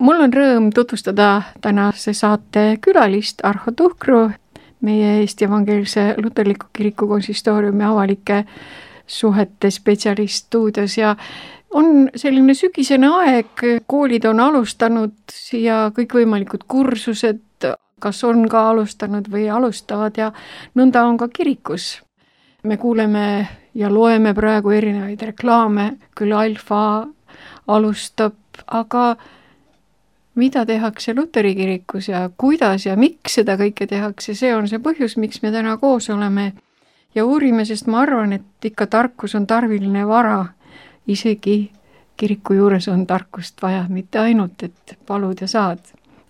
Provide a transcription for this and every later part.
Mul on rõõm tutvustada tänase saate külalist Arho Tuhkru, meie Eesti Evangeelse Luterliku Kiriku konsistooriumi avalike suhete spetsialist stuudios ja on selline sügisene aeg, koolid on alustanud ja kõikvõimalikud kursused, kas on ka alustanud või alustavad ja nõnda on ka kirikus. Me kuuleme ja loeme praegu erinevaid reklaame, küll Alfa alustab, aga mida tehakse Luteri kirikus ja kuidas ja miks seda kõike tehakse, see on see põhjus, miks me täna koos oleme ja uurime, sest ma arvan, et ikka tarkus on tarviline vara. Isegi kiriku juures on tarkust vaja, mitte ainult, et palud ja saad.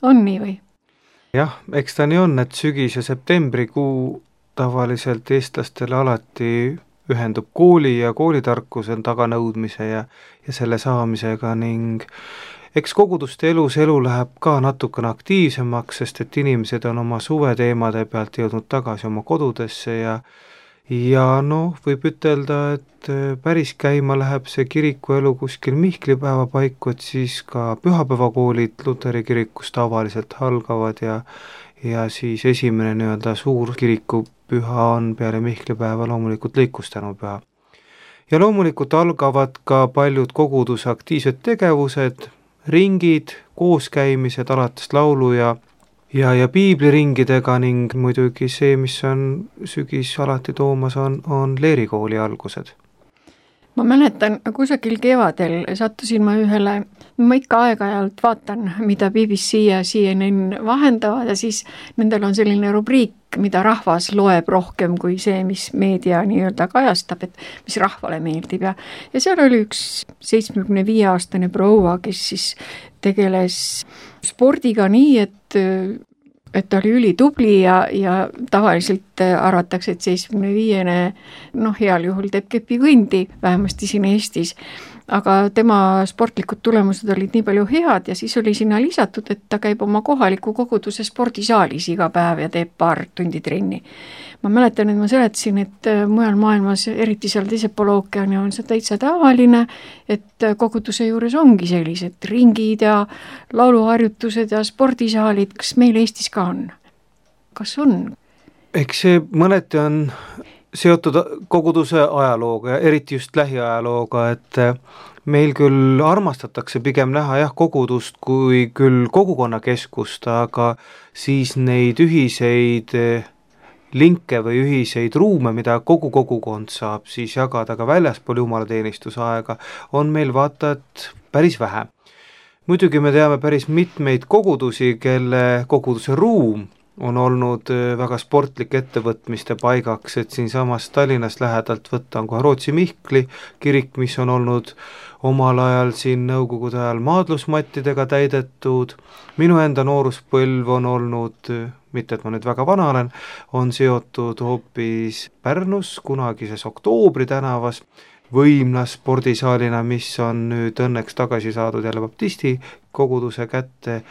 On nii või? Jah, eks ta nii on, et sügis ja septembrikuu tavaliselt eestlastele alati ühendub kooli ja koolitarkuse taganõudmise ja selle saamisega ning eks koguduste elu läheb ka natukene aktiivsemaks, sest et inimesed on oma suveteemade pealt jõudnud tagasi oma kodudesse ja võib ütelda, et päris käima läheb see kirikuelu kuskil Mihklipäeva paiku, et siis ka pühapäevakoolid Luteri kirikus tavaliselt algavad ja siis esimene nii-öelda suur kirikupüha on peale Mihklipäeva loomulikult lõikustänu-püha. Ja loomulikult algavad ka paljud koguduse aktiivsed tegevused, ringid, kooskäimised alates laulu ja piibliringidega ning muidugi see, mis on sügis alati toomas, on leerikooli algused. Ma mäletan, kusagil kevadel sattusin ma ikka aeg-ajalt vaatan, mida BBC ja CNN vahendavad ja siis nendel on selline rubriik, mida rahvas loeb rohkem kui see, mis meedia nii-öelda kajastab, et mis rahvale meeldib ja seal oli üks 75-aastane proua, kes siis tegeles spordiga nii, et ta oli ülitubli ja tavaliselt arvatakse, et 75-ne heal juhul teeb kepikõndi, vähemasti siin Eestis. Aga tema sportlikud tulemused olid nii palju head ja siis oli sinna lisatud, et ta käib oma kohaliku koguduse spordisaalis iga päev ja teeb paar tundi trenni. Ma mäletan, et ma seletasin, et mujal maailmas, eriti seal teisel pool ookeani on see täitsa tavaline, et koguduse juures ongi sellised ringid ja lauluharjutused ja spordisaalid. Kas meil Eestis ka on? Kas on? Eks see mõneti on seotud koguduse ajalooga ja eriti just lähiajalooga, et meil küll armastatakse pigem näha kogudust kui küll kogukonnakeskust, aga siis neid ühiseid linke või ühiseid ruume, mida kogu kogukond saab siis jagada ka väljaspool jumalateenistuse aega, on meil vaata, et päris vähe. Muidugi me teame päris mitmeid kogudusi, kelle koguduse ruum on olnud väga sportlik ettevõtmiste paigaks, et siinsamas Tallinnas lähedalt võtta on kohe Rootsi Mihkli kirik, mis on olnud omal ajal siin nõukogude ajal maadlusmattidega täidetud. Minu enda nooruspõlv on olnud, mitte et ma nüüd väga vana olen, on seotud hoopis Pärnus kunagises Oktoobri tänavas võimlas spordisaalina, mis on nüüd õnneks tagasi saadud jälle baptisti koguduse kätte,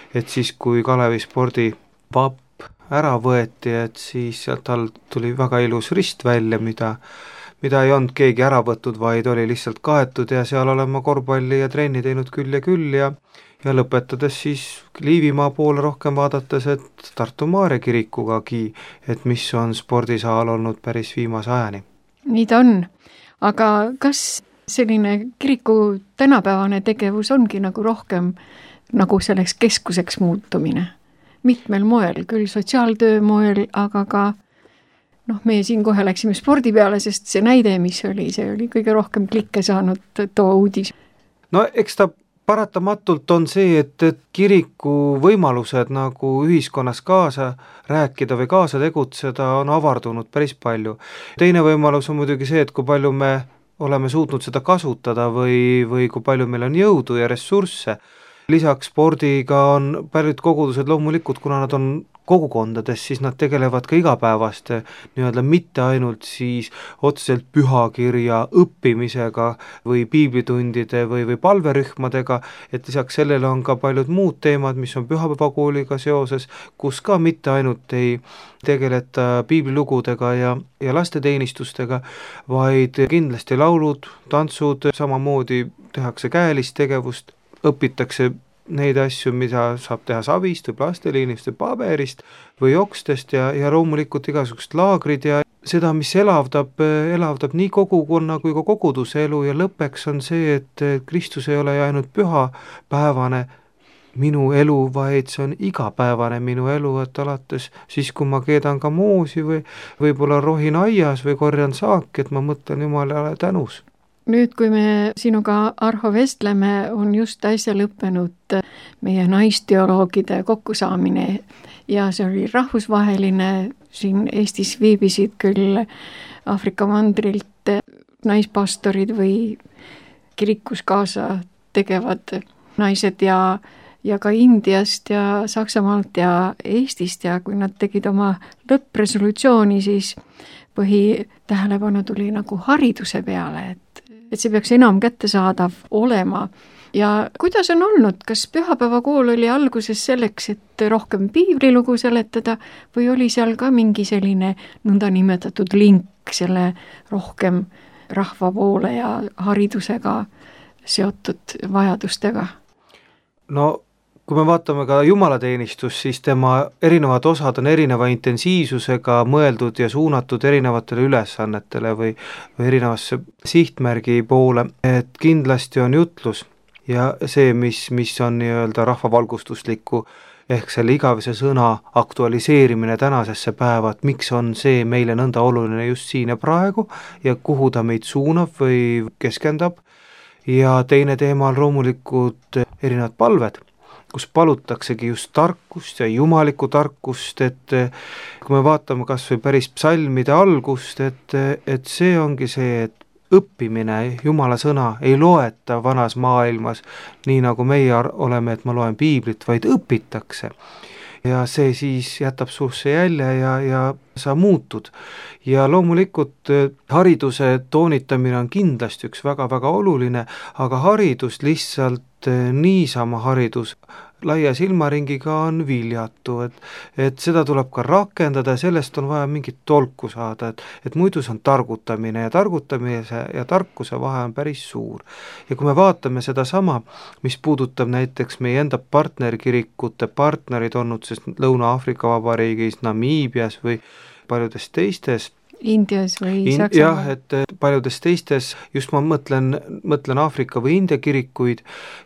et siis kui Kalevi spordipapp ära võeti, et siis sealt all tuli väga ilus rist välja, mida ei olnud keegi ära võtnud, vaid oli lihtsalt kaetud ja seal olen ma korvpalli ja trenni teinud küll ja lõpetades siis Liivimaa poole rohkem vaadates, et Tartu Maarja kirikugagi, et mis on spordisaal olnud päris viimase ajani. Nii ta on, aga kas selline kiriku tänapäevane tegevus ongi nagu rohkem nagu selleks keskuseks muutumine? Mitmel moel, küll sotsiaaltöö moel, aga ka meie siin kohe läksime spordi peale, sest see näide, mis oli, see oli kõige rohkem klikke saanud too uudis. No eks ta paratamatult on see, et kiriku võimalused nagu ühiskonnas kaasa rääkida või kaasa tegutseda on avardunud päris palju. Teine võimalus on muidugi see, et kui palju me oleme suutnud seda kasutada või kui palju meil on jõudu ja ressursse. Lisaks spordiga on paljud kogudused loomulikult, kuna nad on kogukondades, siis nad tegelevad ka igapäevaste nii-öelda mitte ainult siis otseselt pühakirja õppimisega või piiblitundide või palverühmadega, et lisaks sellele on ka paljud muud teemad, mis on pühapäevakooliga seoses, kus ka mitte ainult ei tegeleta piiblilugudega ja lasteteenistustega, vaid kindlasti laulud, tantsud, samamoodi tehakse käelist tegevust, õpitakse neid asju, mida saab teha savist või plastiliinist või paberist või okstest ja loomulikult igasugused laagrid ja seda, mis elavdab nii kogukonna kui ka koguduse elu ja lõppeks on see, et Kristus ei ole ju ainult pühapäevane minu elu, vaid see on igapäevane minu elu, et alates siis, kui ma keedan ka moosi või võib-olla rohin aias või korjan saaki, et ma mõtlen Jumalale tänus. Nüüd, kui me sinuga, Arho, vestleme, on just äsja lõppenud meie naisteoloogide kokkusaamine ja see oli rahvusvaheline, siin Eestis viibisid küll Aafrika mandrilt naispastorid või kirikus kaasa tegevad naised ja ka Indiast ja Saksamaalt ja Eestist ja kui nad tegid oma lõppresolutsiooni, siis põhitähelepanu tuli nagu hariduse peale, et see peaks enam kättesaadav olema. Ja kuidas on olnud, kas pühapäevakool oli alguses selleks, et rohkem piiblilugu seletada või oli seal ka mingi selline nõndanimetatud link selle rohkem rahva poole ja haridusega seotud vajadustega? No kui me vaatame ka jumalateenistust, siis tema erinevad osad on erineva intensiivsusega mõeldud ja suunatud erinevatele ülesannetele või erinevasse sihtmärgi poole, et kindlasti on jutlus ja see, mis on nii-öelda rahvavalgustusliku ehk selle igavese sõna aktualiseerimine tänasesse päeva, et miks on see meile nõnda oluline just siin ja praegu ja kuhu ta meid suunab või keskendab. Ja teine teema on loomulikult erinevad palved, kus palutaksegi just tarkust ja jumalikku tarkust, et kui me vaatame kas või päris psalmide algust, et see ongi see, et õppimine, Jumala sõna ei loeta vanas maailmas, nii nagu meie oleme, et ma loen piiblit, vaid õpitakse. Ja see siis jätab suusse jälje ja sa muutud. Ja loomulikult hariduse toonitamine on kindlasti üks väga-väga oluline, aga haridus lihtsalt niisama haridus laia silmaringiga on viljatu, et seda tuleb ka rakendada ja sellest on vaja mingit tolku saada, et muidu see on targutamine ja targutamise ja tarkuse vahe on päris suur. Ja kui me vaatame seda sama, mis puudutab näiteks meie enda partnerkirikute partnerid olnud, sest Lõuna-Aafrika Vabariigis, Namiibias või paljudes teistes Indias või Saksamaal. Jah, et paljudes teistes, just ma mõtlen Aafrika või India kirikuid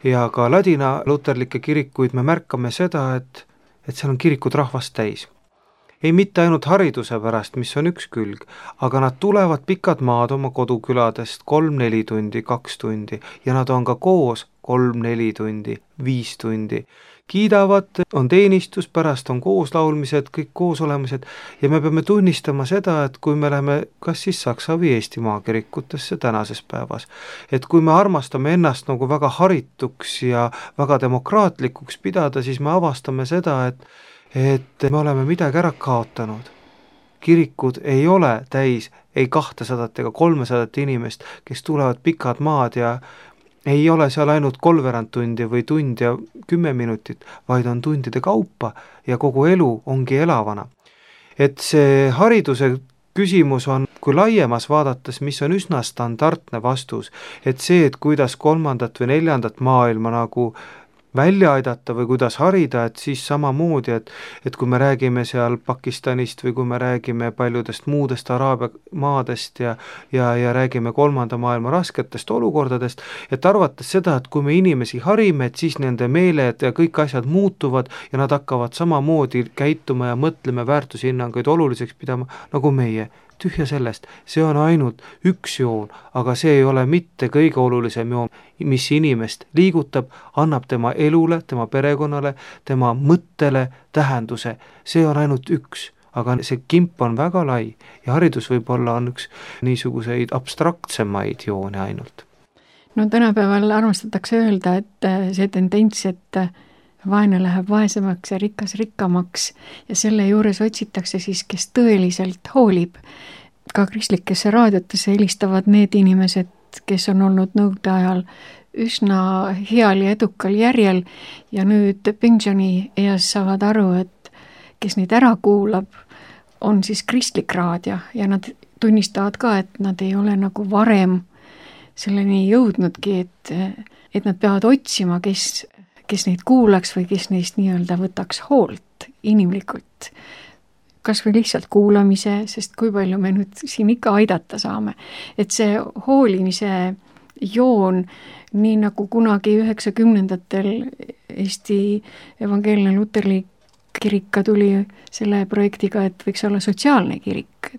ja ka ladina luterlikke kirikuid, me märkame seda, et seal on kirikud rahvast täis. Ei mitte ainult hariduse pärast, mis on üks külg, aga nad tulevad pikad maad oma koduküladest 3-4 tundi, 2 tundi ja nad on ka koos 3-4 tundi, 5 tundi. Kiidavad, on teenistus, pärast on kooslaulmised, kõik koosolemised ja me peame tunnistama seda, et kui me läheme kas siis Saksa või Eesti maakirikutesse tänases päevas, et kui me armastame ennast nagu väga harituks ja väga demokraatlikuks pidada, siis me avastame seda, et me oleme midagi ära kaotanud. Kirikud ei ole täis ei 200 ega 300 inimest, kes tulevad pikad maad ja ei ole seal ainult 3/4 tundi või tund ja 10 minutit, vaid on tundide kaupa ja kogu elu ongi elavana. Et see hariduse küsimus on, kui laiemas vaadates, mis on üsna standardne vastus, et see, et kuidas 3. või 4. maailma nagu välja aidata või kuidas harida, et siis samamoodi, et kui me räägime seal Pakistanist või kui me räägime paljudest muudest Araabia maadest ja räägime 3. maailma rasketest olukordadest, et arvates seda, et kui me inimesi harime, et siis nende meeled ja kõik asjad muutuvad ja nad hakkavad samamoodi käituma ja mõtlema väärtushinnanguid oluliseks pidama nagu meie. Tühja sellest, see on ainult üks joon, aga see ei ole mitte kõige olulisem joon, mis inimest liigutab, annab tema elule, tema perekonnale, tema mõttele tähenduse. See on ainult üks, aga see kimp on väga lai ja haridus võib-olla on üks niisuguseid abstraktsemaid joone ainult. No tänapäeval armastatakse öelda, et see tendents, et vaene läheb vaesemaks ja rikas rikkamaks ja selle juures otsitakse siis, kes tõeliselt hoolib. Ka kristlikesse raadiotesse helistavad need inimesed, kes on olnud nõukogude ajal üsna heal ja edukal järjel ja nüüd pensioni eas saavad aru, et kes neid ära kuulab, on siis kristlik raadio ja nad tunnistavad ka, et nad ei ole nagu varem selleni jõudnudki, et nad peavad otsima, kes kes neid kuulaks või kes neist nii-öelda võtaks hoolt inimlikult. Kas või lihtsalt kuulamise, sest kui palju me nüüd siin ikka aidata saame. Et see hoolimise joon, nii nagu kunagi 90ndatel Eesti Evangeelne Luterlik kirik ka tuli selle projektiga, et võiks olla sotsiaalne kirik.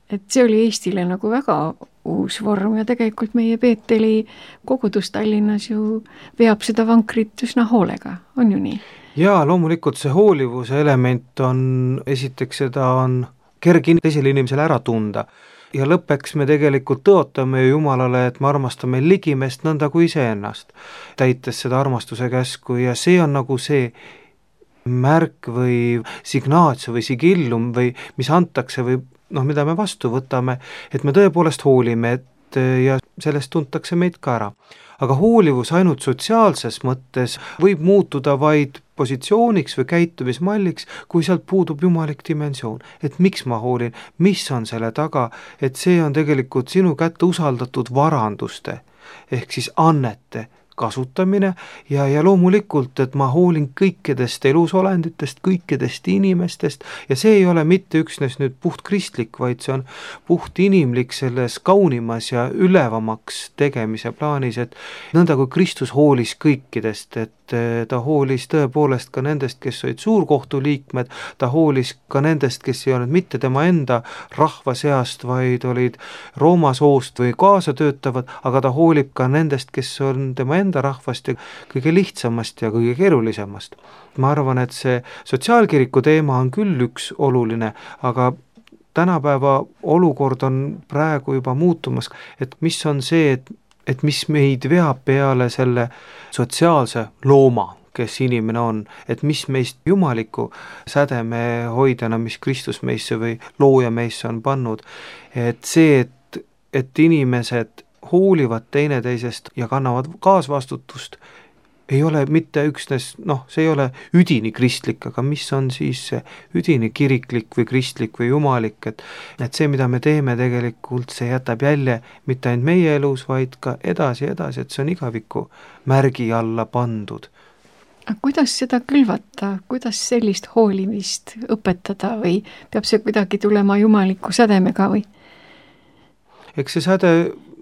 Et see oli Eestile nagu väga uus vorm ja tegelikult meie Peeteli kogudus Tallinnas ju veab seda vankrit üsna hoolega, on ju nii? Jaa, loomulikult see hoolivuse element on, esiteks seda on kerge teisele inimesele ära tunda ja lõppeks me tegelikult tõotame Jumalale, et me armastame ligimest nõnda kui iseennast, täites seda armastuse käsku ja see on nagu see märk või signaatio või sigillum või mis antakse või mida me vastu võtame, et me tõepoolest hoolime, ja sellest tuntakse meid ka ära. Aga hoolivus ainult sotsiaalses mõttes võib muutuda vaid positsiooniks või käitumismalliks, kui sealt puudub jumalik dimensioon. Et miks ma hoolin, mis on selle taga, et see on tegelikult sinu kätte usaldatud varanduste ehk siis annete kasutamine ja loomulikult, et ma hoolin kõikidest elusolenditest, kõikidest inimestest ja see ei ole mitte üksnes nüüd puht kristlik, vaid see on puht inimlik selles kaunimas ja ülevamaks tegemise plaanis, et nõnda kui Kristus hoolis kõikidest, et ta hoolis tõepoolest ka nendest, kes olid suurkohtu liikmed, ta hoolis ka nendest, kes ei olnud mitte tema enda rahva seast, vaid olid Rooma soost või kaasatöötavad, aga ta hoolib ka nendest, kes on tema enda rahvast ja kõige lihtsamast ja kõige keerulisemast. Ma arvan, et see sotsiaalkiriku teema on küll üks oluline, aga tänapäeva olukord on praegu juba muutumas, et mis on see, et mis meid veab peale selle sotsiaalse looma, kes inimene on, et mis meist jumaliku sädeme hoidjana, mis Kristus meisse või looja meisse on pannud, et see, et inimesed hoolivad teineteisest ja kannavad kaasvastutust, ei ole mitte üksnes, see ei ole üdini kristlik, aga mis on siis see üdini kiriklik või kristlik või jumalik, et see, mida me teeme tegelikult, see jätab jälje mitte ainult meie elus, vaid ka edasi, et see on igaviku märgi alla pandud. Kuidas seda külvata, kuidas sellist hoolimist õpetada või peab see kuidagi tulema jumaliku sädemega või? Eks see säde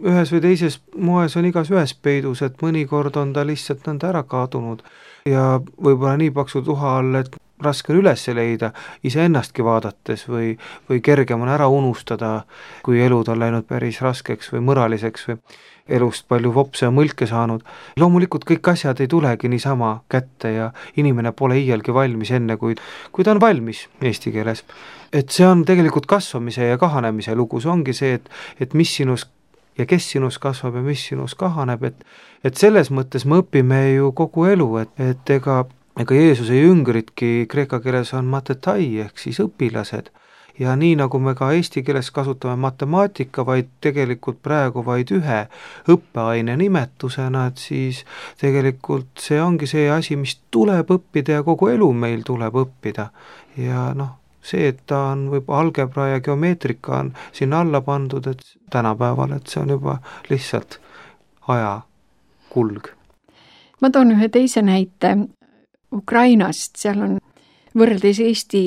ühes või teises moes on igas ühes peidus, et mõnikord on ta lihtsalt nõnda ära kadunud ja võib-olla nii paksu tuha all, et raske on üles leida iseennastki vaadates või kergem on ära unustada, kui elud on läinud päris raskeks või mõraliseks või elust palju vopse ja mõlke saanud. Loomulikult kõik asjad ei tulegi niisama kätte ja inimene pole iialgi valmis enne, kui ta on valmis eesti keeles. Et see on tegelikult kasvamise ja kahanemise lugu, see ongi see, et mis sinus ja kes sinus kasvab ja mis sinus kahaneb, et selles mõttes me õpime ju kogu elu, et ega Jeesuse jüngritki kreeka keeles on matetai ehk siis õpilased ja nii nagu me ka eesti keeles kasutame matemaatika, vaid tegelikult praegu vaid ühe õppeaine nimetusena, et siis tegelikult see ongi see asi, mis tuleb õppida ja kogu elu meil tuleb õppida ja see, et ta on võib-olla algebra ja geomeetrika on sinna alla pandud, et tänapäeval, et see on juba lihtsalt aja kulg. Ma toon ühe teise näite Ukrainast, seal on võrreldes Eesti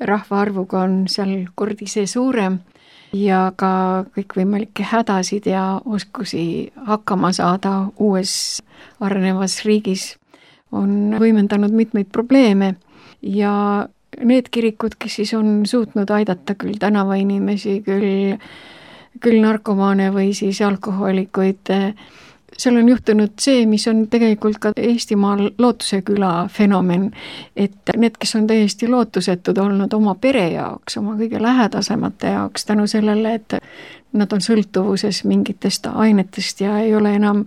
rahvaarvuga on seal kordi see suurem ja ka kõikvõimalikke hädasid ja oskusi hakkama saada uues arenevas riigis on võimendanud mitmeid probleeme ja need kirikud, kes siis on suutnud aidata küll tänavainimesi, küll narkomaane või siis alkoholikuid, seal on juhtunud see, mis on tegelikult ka Eestimaal Lootuse küla fenomen, et need, kes on täiesti lootusetud olnud oma pere jaoks, oma kõige lähedasemate jaoks, tänu sellele, et nad on sõltuvuses mingitest ainetest ja ei ole enam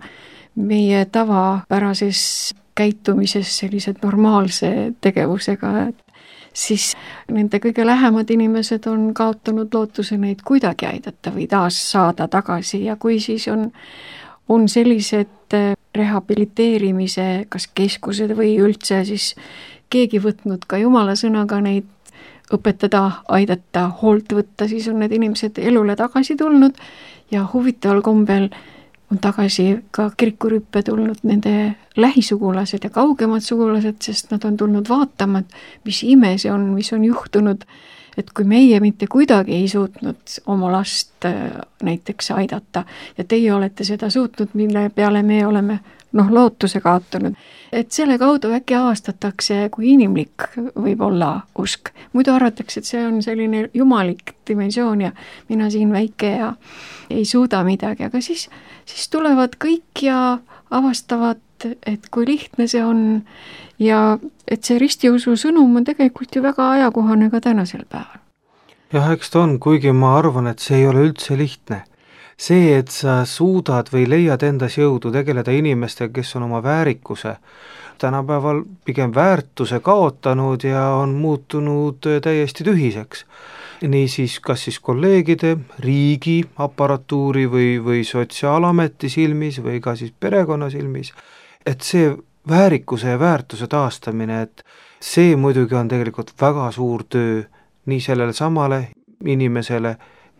meie tavapärases käitumises sellised normaalse tegevusega, siis nende kõige lähemad inimesed on kaotanud lootuse neid kuidagi aidata või taas saada tagasi ja kui siis on sellised rehabiliteerimise kas keskused või üldse siis keegi võtnud ka Jumala sõnaga neid õpetada, aidata, hoolt võtta, siis on need inimesed elule tagasi tulnud ja huvitaval kombel on tagasi ka kirikurüppe tulnud nende lähisugulased ja kaugemad sugulased, sest nad on tulnud vaatama, mis ime see on, mis on juhtunud, et kui meie mitte kuidagi ei suutnud oma last näiteks aidata ja teie olete seda suutnud, mille peale me oleme lootuse kaotanud, et selle kaudu äkki avastatakse, kui inimlik võib olla usk. Muidu arvatakse, et see on selline jumalik dimensioon ja mina siin väike ja ei suuda midagi, aga siis tulevad kõik ja avastavad, et kui lihtne see on ja et see ristiusu sõnum on tegelikult ju väga ajakohane ka tänasel päeval. Jah, eks ta on, kuigi ma arvan, et see ei ole üldse lihtne. See, et sa suudad või leiad endas jõudu tegeleda inimestega, kes on oma väärikuse tänapäeval pigem väärtuse kaotanud ja on muutunud täiesti tühiseks. Niisiis, kas siis kolleegide, riigi, aparatuuri või sotsiaalameti silmis või ka siis perekonna silmis, et see väärikuse ja väärtuse taastamine, et see muidugi on tegelikult väga suur töö nii sellele samale inimesele,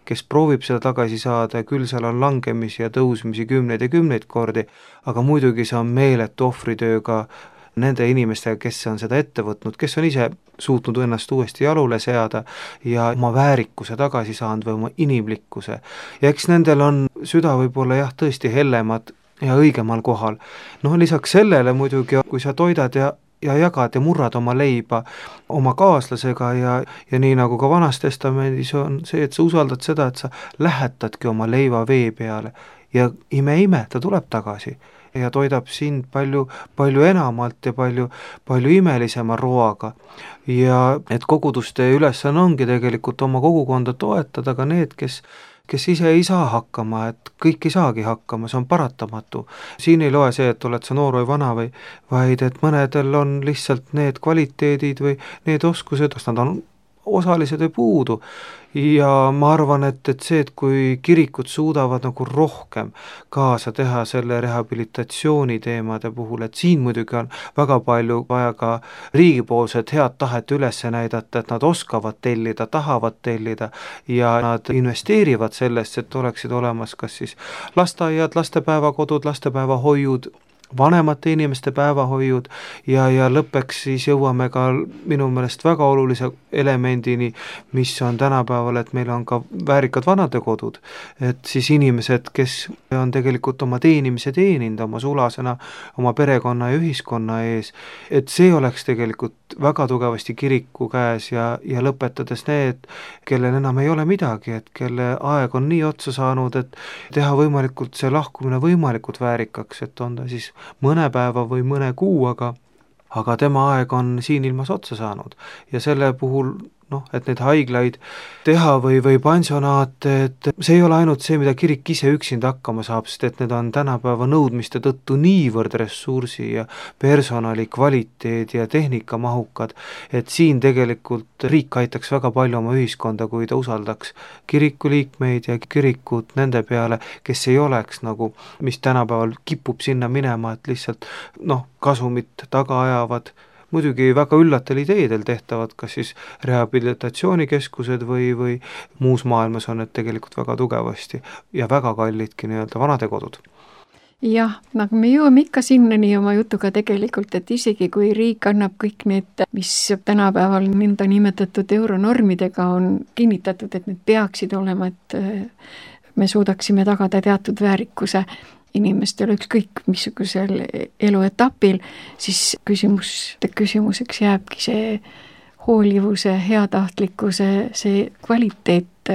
kes proovib seda tagasi saada, küll seal on langemisi ja tõusmisi kümneid ja kümneid kordi, aga muidugi see on meeletu ohvritöö ka nende inimestega, kes on seda ette võtnud, kes on ise suutnud ennast uuesti jalule seada ja oma väärikuse tagasi saanud või oma inimlikkuse. Ja eks nendel on süda võib-olla jah, tõesti hellemad ja õigemal kohal. Lisaks sellele muidugi, kui sa toidad ja jagad ja murrad oma leiba oma kaaslasega ja nii nagu ka Vanas Testamendis on see, et sa usaldad seda, et sa lähetadki oma leiva vee peale ja ime, ta tuleb tagasi ja toidab sind palju enamalt ja palju imelisema roaga. Ja et koguduste ülesanne ongi tegelikult oma kogukonda toetada ka need, kes ise ei saa hakkama, et kõik ei saagi hakkama, see on paratamatu. Siin ei loe see, et oled sa noor või vana vaid et mõnedel on lihtsalt need kvaliteedid või need oskused, kas nad on osalised või puudu. Ja ma arvan, et see, et kui kirikud suudavad nagu rohkem kaasa teha selle rehabilitatsiooni teemade puhul, et siin muidugi on väga palju vaja ka riigipoolset head tahet üles näidata, et nad oskavad tellida, tahavad tellida ja nad investeerivad sellesse, et oleksid olemas kas siis lasteaiad, lastepäevakodud, lastepäevahoiud, vanemate inimeste päevahoiud ja lõppeks siis jõuame ka minu meelest väga olulise elemendini, mis on tänapäeval, et meil on ka väärikad vanadekodud, et siis inimesed, kes on tegelikult oma teenimise teeninud oma sulasena, oma perekonna ja ühiskonna ees, et see oleks tegelikult väga tugevasti kiriku käes ja lõpetades need, kellel enam ei ole midagi, et kelle aeg on nii otsa saanud, et teha võimalikult see lahkumine võimalikult väärikaks, et on ta siis mõne päeva või mõne kuu, aga tema aeg on siin ilmas otsa saanud ja selle puhul et neid haiglaid teha või pansionaate, et see ei ole ainult see, mida kirik ise üksinda hakkama saab, sest et need on tänapäeva nõudmiste tõttu niivõrd ressursi ja personali kvaliteedi ja tehnikamahukad, et siin tegelikult riik aitaks väga palju oma ühiskonda, kui ta usaldaks kirikuliikmeid ja kirikut nende peale, kes ei oleks nagu, mis tänapäeval kipub sinna minema, et lihtsalt kasumit taga ajavad, muidugi väga üllatel ideedel tehtavad, kas siis rehabilitatsioonikeskused või muus maailmas on need tegelikult väga tugevasti ja väga kallidki vanadekodud. Jah, nagu me jõuame ikka sinnani oma jutuga tegelikult, et isegi kui riik annab kõik need, mis tänapäeval nõnda nimetatud euronormidega on kinnitatud, et need peaksid olema, et me suudaksime tagada teatud väärikuse inimestel ükskõik missugusel eluetapil, siis küsimuseks jääbki see hoolivuse, heatahtlikkuse, see kvaliteet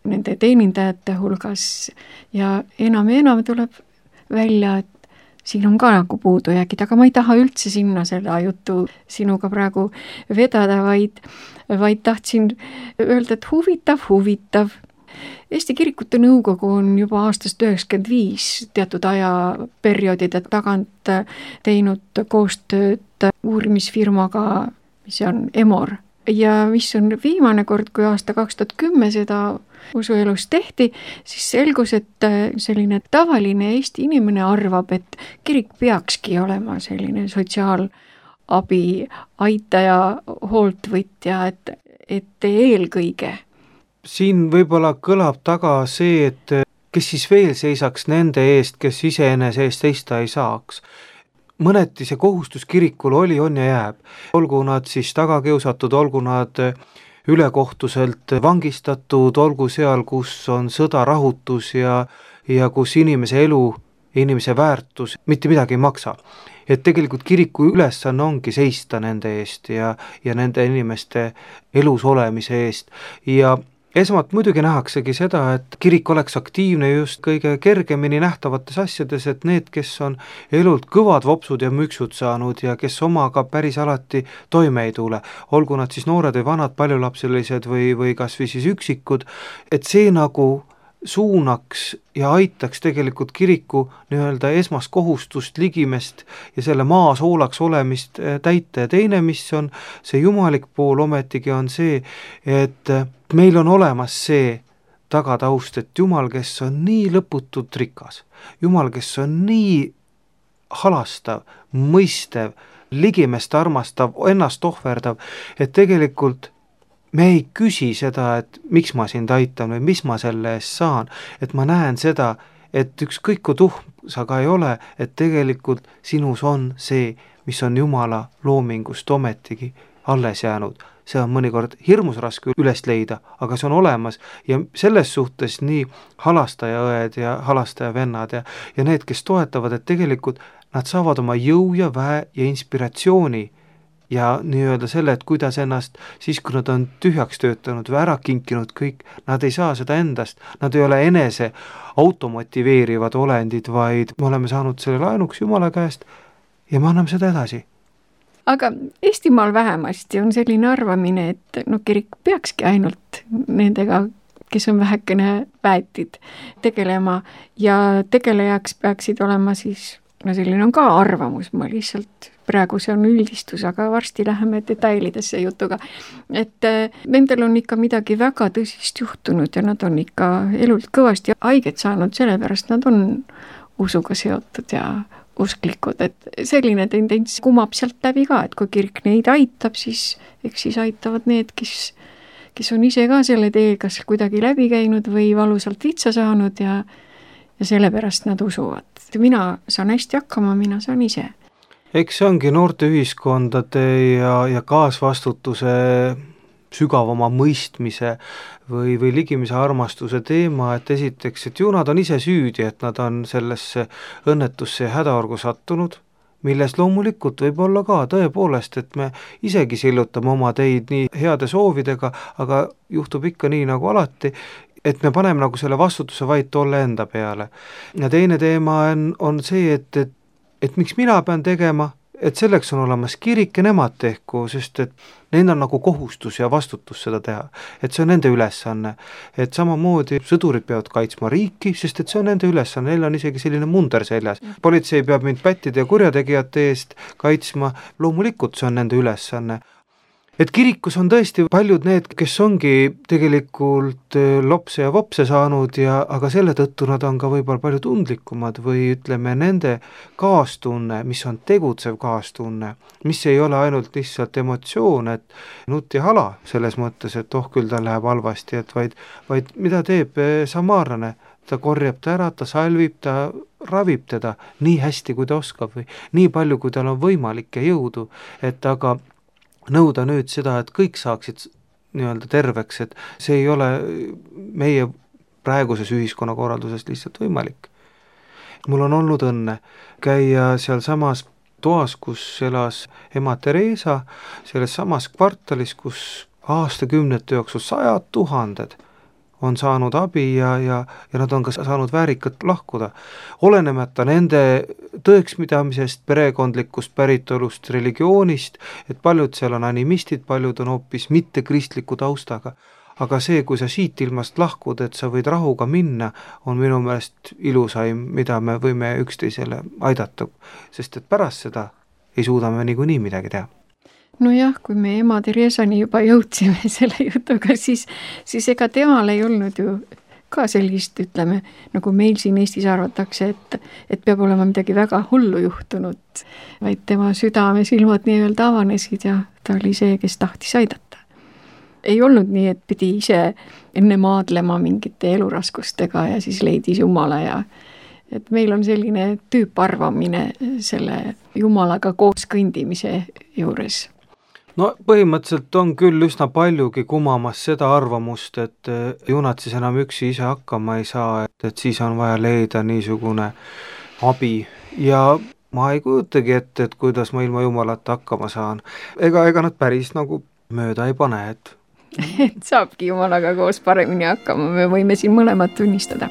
nende teenindajate hulgas ja enam tuleb välja, et siin on ka nagu puudujäägid, aga ma ei taha üldse sinna seda juttu sinuga praegu vedada, vaid tahtsin öelda, et huvitav. Eesti Kirikute Nõukogu on juba aastast 1995 teatud ajaperioodide tagant teinud koostööd uurimisfirmaga, mis on EMOR. Ja mis on viimane kord, kui aasta 2010 seda usuelus tehti, siis selgus, et selline tavaline Eesti inimene arvab, et kirik peakski olema selline sotsiaalabi aitaja, hooltvõtja, et eelkõige. Siin võib-olla kõlab taga see, kes siis veel seisaks nende eest, kes iseenese eest seista ei saaks. Mõneti see kohustus kirikul oli, on ja jääb. Olgu nad siis tagakiusatud, olgu nad ülekohtuselt vangistatud, olgu seal, kus on sõda, rahutus ja kus inimese elu, inimese väärtus mitte midagi ei maksa. Et tegelikult kiriku ülesanne ongi seista nende eest ja nende inimeste elus olemise eest. Ja esmalt muidugi nähaksegi seda, et kirik oleks aktiivne just kõige kergemini nähtavates asjades, et need, kes on elult kõvad vopsud ja müksud saanud ja kes omaga päris alati toime ei tule, olgu nad siis noored või vanad, paljulapselised või kas või siis üksikud, et see nagu suunaks ja aitaks tegelikult kiriku nii-öelda esmast kohustust, ligimest ja selle maasoolaks olemist täita. Ja teine, mis on see jumalik pool ometigi, on see, et meil on olemas see tagataust, et Jumal, kes on nii lõputult rikas, Jumal, kes on nii halastav, mõistev, ligimest armastav, ennast ohverdav, et tegelikult me ei küsi seda, et miks ma sind aitan või mis ma selle eest saan, et ma näen seda, et ükskõik kui tuhm sa ka ei ole, et tegelikult sinus on see, mis on Jumala loomingust ometigi alles jäänud. See on mõnikord hirmus raske üles leida, aga see on olemas ja selles suhtes nii halastajaõed ja halastajavennad ja need, kes toetavad, et tegelikult nad saavad oma jõu ja väe ja inspiratsiooni ja nii-öelda selle, et kuidas ennast siis, kui nad on tühjaks töötanud või ära kinkinud kõik, nad ei saa seda endast, nad ei ole enese automotiveerivad olendid, vaid me oleme saanud selle laenuks Jumala käest ja me anname seda edasi. Aga Eestimaal vähemasti on selline arvamine, et kirik peakski ainult nendega, kes on vähekene väetid, tegelema ja tegelejaks peaksid olema siis, selline on ka arvamus, ma lihtsalt praegu see on üldistus, aga varsti läheme detailidesse jutuga, et nendel on ikka midagi väga tõsist juhtunud ja nad on ikka elult kõvasti haiget saanud, sellepärast nad on usuga seotud ja usklikud, et selline tendents kumab sealt läbi ka, et kui kirik neid aitab, siis eks siis aitavad need, kes on ise ka selle tee kas kuidagi läbi käinud või valusalt vitsa saanud ja sellepärast nad usuvad. Mina saan hästi hakkama, mina saan ise. Eks see ongi noorte ühiskondade ja kaasvastutuse sügavama mõistmise või ligimise armastuse teema, et esiteks, et ju nad on ise süüdi, et nad on sellesse õnnetusse ja hädaorgu sattunud, milles loomulikult võib olla ka tõepoolest, et me isegi sillutame oma teid nii heade soovidega, aga juhtub ikka nii nagu alati, et me paneme nagu selle vastutuse vaid tolle enda peale. Ja teine teema on see, et miks mina pean tegema, et selleks on olemas kirik ja nemad tehku, sest et neil on nagu kohustus ja vastutus seda teha, et see on nende ülesanne, et samamoodi sõdurid peavad kaitsma riiki, sest et see on nende ülesanne, neil on isegi selline munder seljas. Politsei peab mind pättide ja kurjategijate eest kaitsma, loomulikult see on nende ülesanne. Et kirikus on tõesti paljud need, kes ongi tegelikult lopse ja vopse saanud aga selle tõttu nad on ka võib-olla palju tundlikumad või ütleme nende kaastunne, mis on tegutsev kaastunne, mis ei ole ainult lihtsalt emotsioon, et nutt ja hala selles mõttes, et küll ta läheb halvasti, et vaid mida teeb samaarlane, ta korjab ta ära, ta salvib, ta ravib teda nii hästi, kui ta oskab või nii palju, kui tal on võimalik ja jõudu, et aga nõuda nüüd seda, et kõik saaksid nii-öelda terveks, et see ei ole meie praeguses ühiskonnakorralduses lihtsalt võimalik. Mul on olnud õnne käia seal samas toas, kus elas ema Theresa, selles samas kvartalis, kus aastakümnete jooksul 100 000 on saanud abi ja nad on ka saanud väärikalt lahkuda. Olenemata nende tõekspidamisest, perekondlikust päritolust, religioonist, et paljud seal on animistid, paljud on hoopis mittekristliku taustaga. Aga see, kui sa siit ilmast lahkud, et sa võid rahuga minna, on minu meelest ilusaim, mida me võime üksteisele aidata, sest et pärast seda ei suuda me niikuinii midagi teha. Nojah, kui me ema Theresani juba jõudsime selle jutuga, siis ega temal ei olnud ju ka sellist, ütleme, nagu meil siin Eestis arvatakse, et peab olema midagi väga hullu juhtunud, vaid tema südame silmad nii-öelda avanesid ja ta oli see, kes tahtis aidata. ei olnud nii, et pidi ise enne maadlema mingite eluraskustega ja siis leidis Jumala ja et meil on selline tüüparvamine selle Jumalaga koos kõndimise juures. No põhimõtteliselt on küll üsna paljugi kumamas seda arvamust, et junad siis enam üksi ise hakkama ei saa, et siis on vaja leida niisugune abi ja ma ei kujutagi ette, et kuidas ma ilma Jumalata hakkama saan. Ega nad päris nagu mööda ei pane, et et saabki Jumalaga koos paremini hakkama, me võime siin mõlemad tunnistada.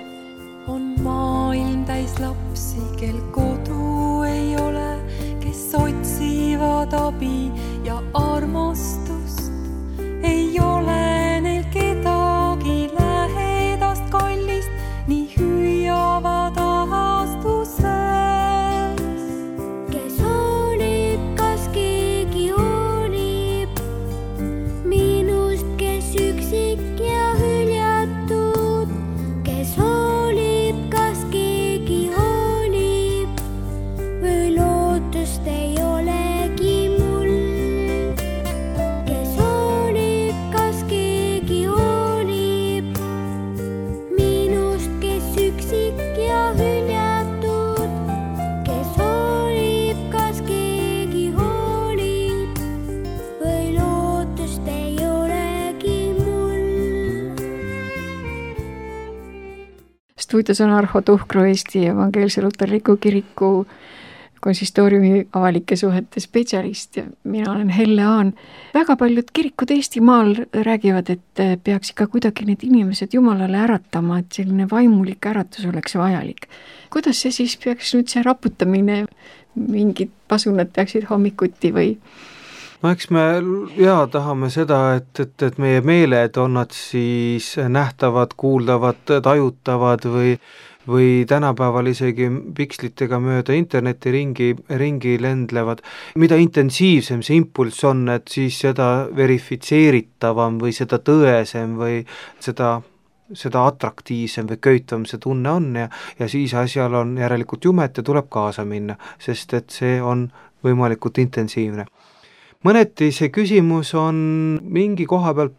On maailm täis lapsi, kel kodu ei ole, kes otsivad abi ja armastust. Ei ole neil kedagi lähedast kallist, nii hüüavad ahastuses. Kes hoolib, kas keegi hoolib minust, kes üksik ja hüljatud, kes hoolib, kas keegi hoolib või lootust ei olegi mul. Kes hoolib, kas keegi hoolib minust, kes üksik ja hüljatud, kes hoolib, kas keegi hoolib või lootust ei olegi mul. Stuudios on Arho Tuhkro, Eesti Evangeelse Luterliku Kiriku konsistooriumi avalike suhete spetsialist ja mina olen Helle Aan. Väga paljud kirikud Eestimaal räägivad, et peaks ikka kuidagi need inimesed Jumalale äratama, et selline vaimulik äratus oleks vajalik. Kuidas see siis peaks nüüd see raputamine, mingid pasunad peaksid hommikuti või? no eks me tahame seda, et meie meeled on nad siis nähtavad, kuuldavad, tajutavad või tänapäeval isegi pikslitega mööda interneti ringi lendlevad. Mida intensiivsem see impulss on, et siis seda verifitseeritavam või seda tõesem või seda atraktiivsem või köitvam see tunne on ja siis asjal on järelikult jumet ja tuleb kaasa minna, sest et see on võimalikult intensiivne. Mõneti see küsimus on mingi koha peal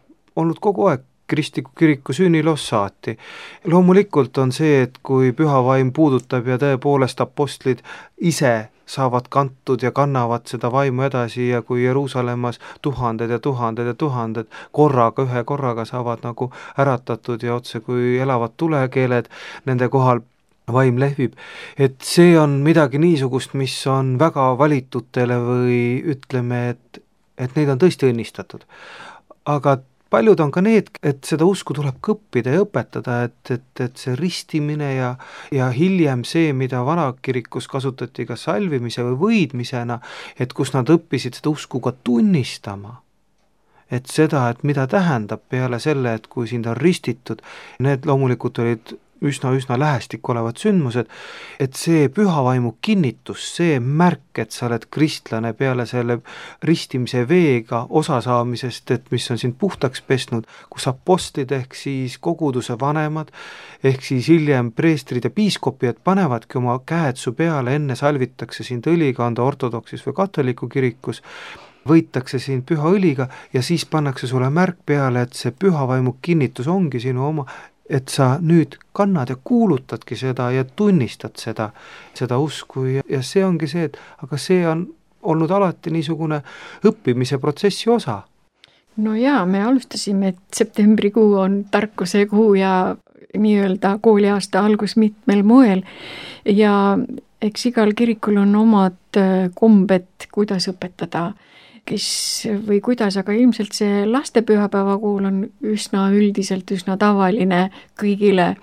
olnud kogu aeg kristliku kiriku sünniloos saati. Loomulikult on see, et kui püha vaim puudutab ja tõepoolest apostlid ise saavad kantud ja kannavad seda vaimu edasi ja kui Jeruusalemmas tuhanded ja tuhanded ja tuhanded ühe korraga saavad nagu äratatud ja otse kui elavad tulekeeled nende kohal vaim lehvib, et see on midagi niisugust, mis on väga valitutele või ütleme, et neid on tõesti õnnistatud. Aga paljud on ka need, et seda usku tuleb õppida ja õpetada, et see ristimine ja hiljem see, mida vanakirikus kasutati ka salvimise või võidmisena, et kus nad õppisid seda usku ka tunnistama. Et seda, et mida tähendab peale selle, et kui sind on ristitud, need loomulikult olid üsna lähestik olevad sündmused, et see pühavaimu kinnitus, see märk, et sa oled kristlane peale selle ristimise veega osasaamisest, et mis on sind puhtaks pesnud, kus apostlid ehk siis koguduse vanemad, ehk siis hiljem preestrid ja piiskopid panevadki oma käed su peale, enne salvitakse sind õliga, on ta ortodoksis või katoliku kirikus, võitakse sind püha õliga ja siis pannakse sulle märk peale, et see pühavaimu kinnitus ongi sinu oma, et sa nüüd kannad ja kuulutadki seda ja tunnistad seda usku ja see ongi see, et aga see on olnud alati niisugune õppimise protsessi osa. No jaa, me alustasime, et septembrikuu on tarkuse kuu ja nii-öelda kooliaasta algus mitmel moel ja eks igal kirikul on omad kombed, kuidas õpetada kes või kuidas, aga ilmselt see lastepühapäeva kuul on üsna üldiselt, üsna tavaline kõigile,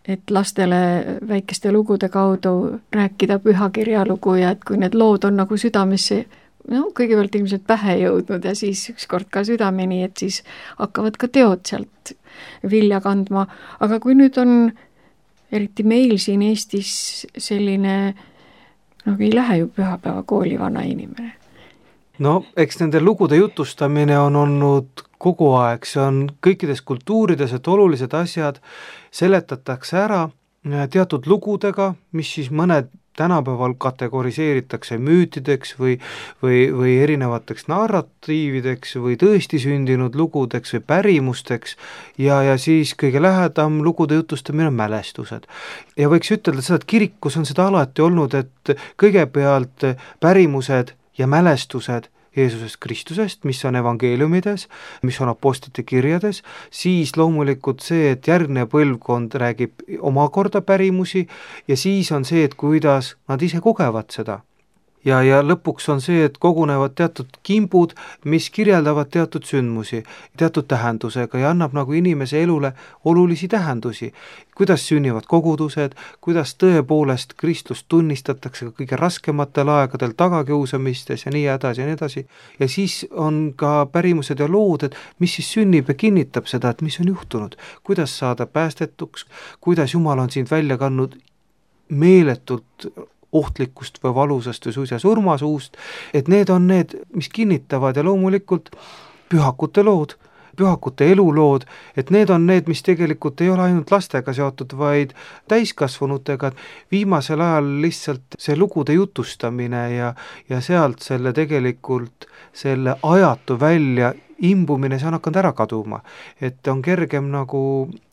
et lastele väikeste lugude kaudu rääkida pühakirja lugu ja et kui need lood on nagu südamesse, kõigepealt ilmselt pähe jõudnud ja siis ükskord ka südameni, et siis hakkavad ka teod sealt vilja kandma. Aga kui nüüd on, eriti meil siin Eestis selline, ei lähe ju pühapäeva kooli vana inimene. No eks nende lugude jutustamine on olnud kogu aeg, see on kõikides kultuurides, et olulised asjad seletatakse ära teatud lugudega, mis siis mõned tänapäeval kategoriseeritakse müütideks või erinevateks narratiivideks või tõesti sündinud lugudeks või pärimusteks ja siis kõige lähedam lugude jutustamine on mälestused. Ja võiks ütelda seda, et kirikus on seda alati olnud, et kõigepealt pärimused ja mälestused Jeesusest Kristusest, mis on evangeeliumides, mis on apostlite kirjades, siis loomulikult see, et järgmine põlvkond räägib omakorda pärimusi ja siis on see, et kuidas nad ise kogevad seda. Ja lõpuks on see, et kogunevad teatud kimbud, mis kirjeldavad teatud sündmusi, teatud tähendusega ja annab nagu inimese elule olulisi tähendusi. Kuidas sünnivad kogudused, kuidas tõepoolest Kristust tunnistatakse ka kõige raskematel aegadel tagakiusamistes ja nii edasi. Ja siis on ka pärimused ja lood, et mis siis sünnib ja kinnitab seda, et mis on juhtunud, kuidas saada päästetuks, kuidas Jumal on sind välja kandnud meeletult ohtlikust või valusast või suisa surmasuust, et need on need, mis kinnitavad ja loomulikult pühakute lood, pühakute elulood, et need on need, mis tegelikult ei ole ainult lastega seotud, vaid täiskasvanutega. Viimasel ajal lihtsalt see lugude jutustamine ja sealt selle tegelikult selle ajatu välja imbumine, see on hakanud ära kaduma, et on kergem nagu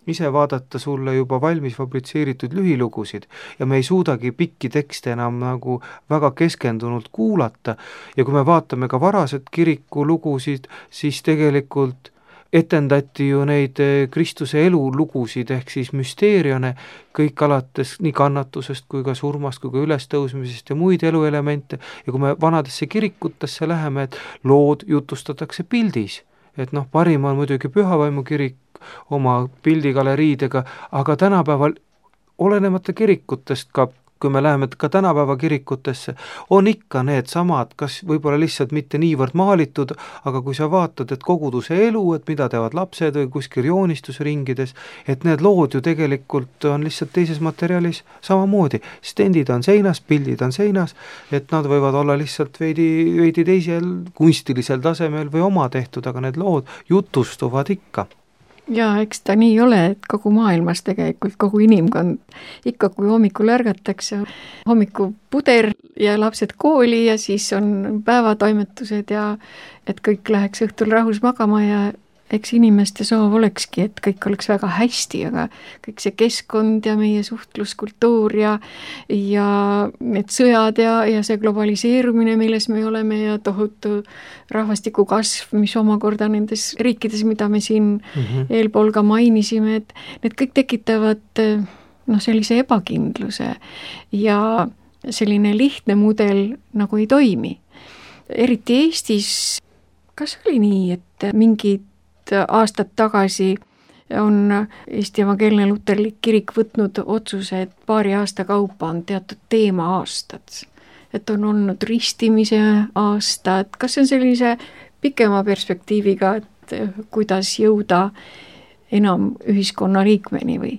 ise vaadata sulle juba valmis fabritseeritud lühilugusid ja me ei suudagi pikki tekste enam nagu väga keskendunult kuulata ja kui me vaatame ka varased kirikulugusid, siis tegelikult etendati ju neid Kristuse elulugusid ehk siis müsteerione, kõik alates nii kannatusest kui ka surmast kui ka ülestõusmisest ja muid eluelemente ja kui me vanadesse kirikutesse läheme, et lood jutustatakse pildis, et parim on muidugi Pühavaimu kirik oma pildigaleriidega, aga tänapäeval olenemata kirikutest ka, kui me läheme ka tänapäeva kirikutesse, on ikka need samad, kas võib-olla lihtsalt mitte niivõrd maalitud, aga kui sa vaatad, et koguduse elu, et mida teevad lapsed või kuskil joonistusringides, et need lood ju tegelikult on lihtsalt teises materjalis samamoodi. Stendid on seinas, pildid on seinas, et nad võivad olla lihtsalt veidi teisel kunstilisel tasemel või oma tehtud, aga need lood jutustuvad ikka. Ja eks ta nii ole, et kogu maailmas tegelikult, kogu inimkond ikka, kui hommikul ärgatakse, hommikupuder ja lapsed kooli ja siis on päevatoimetused ja et kõik läheks õhtul rahus magama ja eks inimeste soov olekski, et kõik oleks väga hästi, aga kõik see keskkond ja meie suhtluskultuur ja need sõjad ja see globaliseerumine, milles me oleme ja tohutu rahvastiku kasv, mis omakorda nendes riikides, mida me siin eelpool ka mainisime, et need kõik tekitavad sellise ebakindluse ja selline lihtne mudel nagu ei toimi. Eriti Eestis, kas oli nii, et mingid aastad tagasi on Eesti Evangeelne Luterlik Kirik võtnud otsuse, et paari aasta kaupa on teatud teema-aastad, et on olnud ristimise aasta, et kas see on sellise pikema perspektiiviga, et kuidas jõuda enam ühiskonna liikmeni või?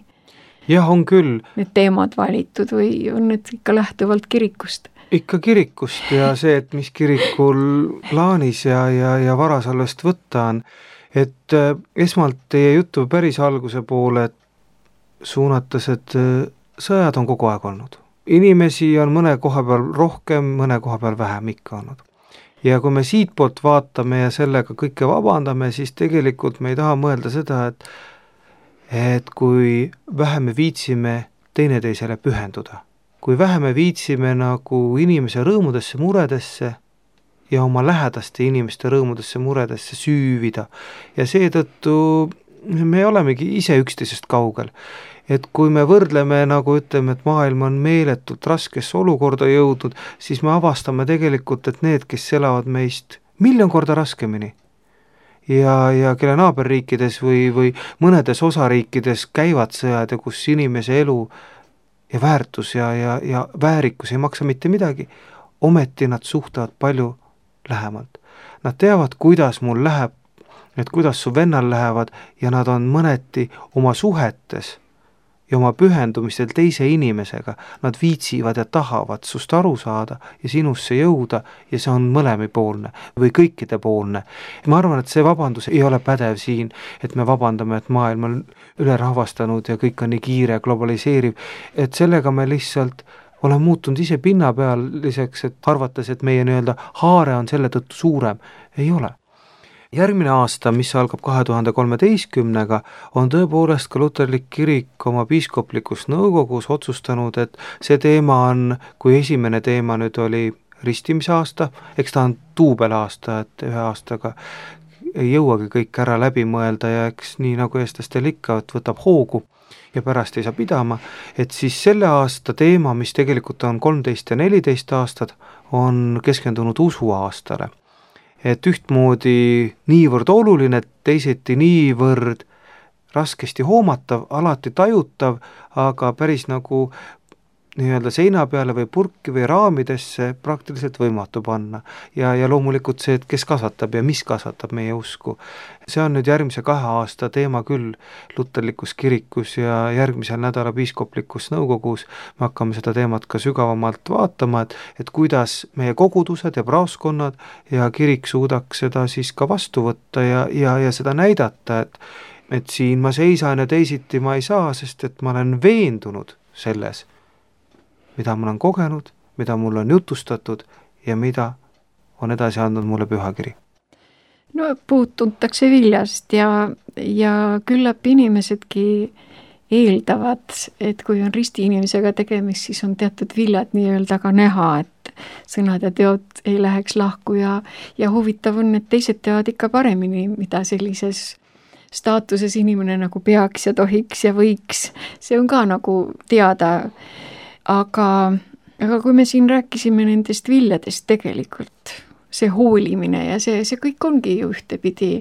Jah, on küll. Need teemad valitud või on need ikka lähtuvalt kirikust? Ikka kirikust ja see, et mis kirikul plaanis ja varasalvest võtta on, et esmalt teie jutu päris alguse poole suunates, et sõjad on kogu aeg olnud. Inimesi on mõne koha peal rohkem, mõne koha peal vähem ikka olnud. Ja kui me siit poolt vaatame ja sellega kõike vabandame, siis tegelikult me ei taha mõelda seda, et kui vähe me viitsime teineteisele pühenduda, kui vähe me viitsime nagu inimese rõõmudesse, muredesse ja oma lähedaste inimeste rõõmudesse, muredesse süüvida. Ja seetõttu me olemegi ise üksteisest kaugel. Et kui me võrdleme, nagu ütleme, et maailm on meeletult raskesse olukorda jõudnud, siis me avastame tegelikult, et need, kes elavad meist 1,000,000 korda raskemini ja kelle naaberriikides või mõnedes osariikides käivad sõjad ja kus inimese elu ja väärtus ja väärikus ei maksa mitte midagi, ometi nad suhtavad palju lähemalt. Nad teavad, kuidas mul läheb, et kuidas su vennal lähevad ja nad on mõneti oma suhetes ja oma pühendumistel teise inimesega, nad viitsivad ja tahavad sust aru saada ja sinusse jõuda ja see on mõlemipoolne või kõikidepoolne. Ma arvan, et see vabandus ei ole pädev siin, et me vabandame, et maailm on ülerahvastanud ja kõik on nii kiire, globaliseeriv, et sellega me lihtsalt olen muutunud ise pinnapealiseks, et arvates, et meie nii-öelda haare on selle tõttu suurem. Ei ole. Järgmine aasta, mis algab 2013, on tõepoolest ka luterlik kirik oma piiskoplikus nõukogus otsustanud, et see teema on, kui esimene teema nüüd oli ristimise aasta, eks ta on duubelaasta, et ühe aastaga ei jõuagi kõik ära läbi mõelda ja eks nii nagu eestlastel ikka, et võtab hoogu ja pärast ei saa pidama, et siis selle aasta teema, mis tegelikult on 13 ja 14 aastad, on keskendunud usuaastale. Et ühtmoodi niivõrd oluline, teiseti niivõrd raskesti hoomatav, alati tajutav, aga päris nagu nii-öelda seina peale või purki või raamidesse praktiliselt võimatu panna. Ja loomulikult see, et kes kasvatab ja mis kasvatab meie usku. See on nüüd järgmise 2 aasta teema küll luterlikus kirikus ja järgmisel nädala piiskoplikus nõukogus me hakkame seda teemat ka sügavamalt vaatama, et kuidas meie kogudused ja praoskonnad ja kirik suudaks seda siis ka vastu võtta ja seda näidata, et siin ma seisan ja teisiti ma ei saa, sest et ma olen veendunud selles, mida ma olen kogenud, mida mulle on jutustatud ja mida on edasi andnud mulle pühakiri. No puud tuntakse viljast ja küllap inimesedki eeldavad, et kui on ristiinimesega tegemist, siis on teatud viljad nii-öelda ka näha, et sõnad ja teod ei läheks lahku ja huvitav on, et teised teavad ikka paremini, mida sellises staatuses inimene nagu peaks ja tohiks ja võiks. See on ka nagu teada. Aga kui me siin rääkisime nendest viljadest tegelikult, see hoolimine ja see kõik ongi ju ühtepidi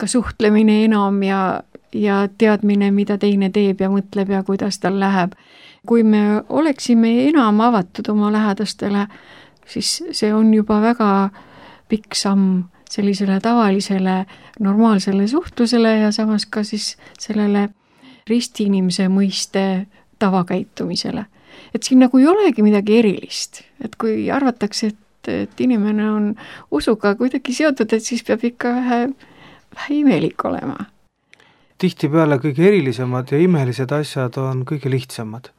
ka suhtlemine enam ja teadmine, mida teine teeb ja mõtleb ja kuidas tal läheb. Kui me oleksime enam avatud oma lähedastele, siis see on juba väga pikk samm sellisele tavalisele normaalsele suhtlusele ja samas ka siis sellele ristiinimese mõiste tavakäitumisele. Et siin nagu ei olegi midagi erilist, et kui arvatakse, et inimene on usuga kuidagi seotud, et siis peab ikka vähe imelik olema. Tihtipeale kõige erilisemad ja imelised asjad on kõige lihtsamad,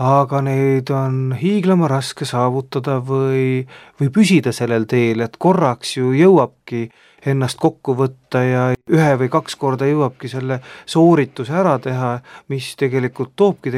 aga neid on hiiglama raske saavutada või püsida sellel teel, et korraks ju jõuabki ennast kokku võtta ja 1 või 2 korda jõuabki selle soorituse ära teha, mis tegelikult toobki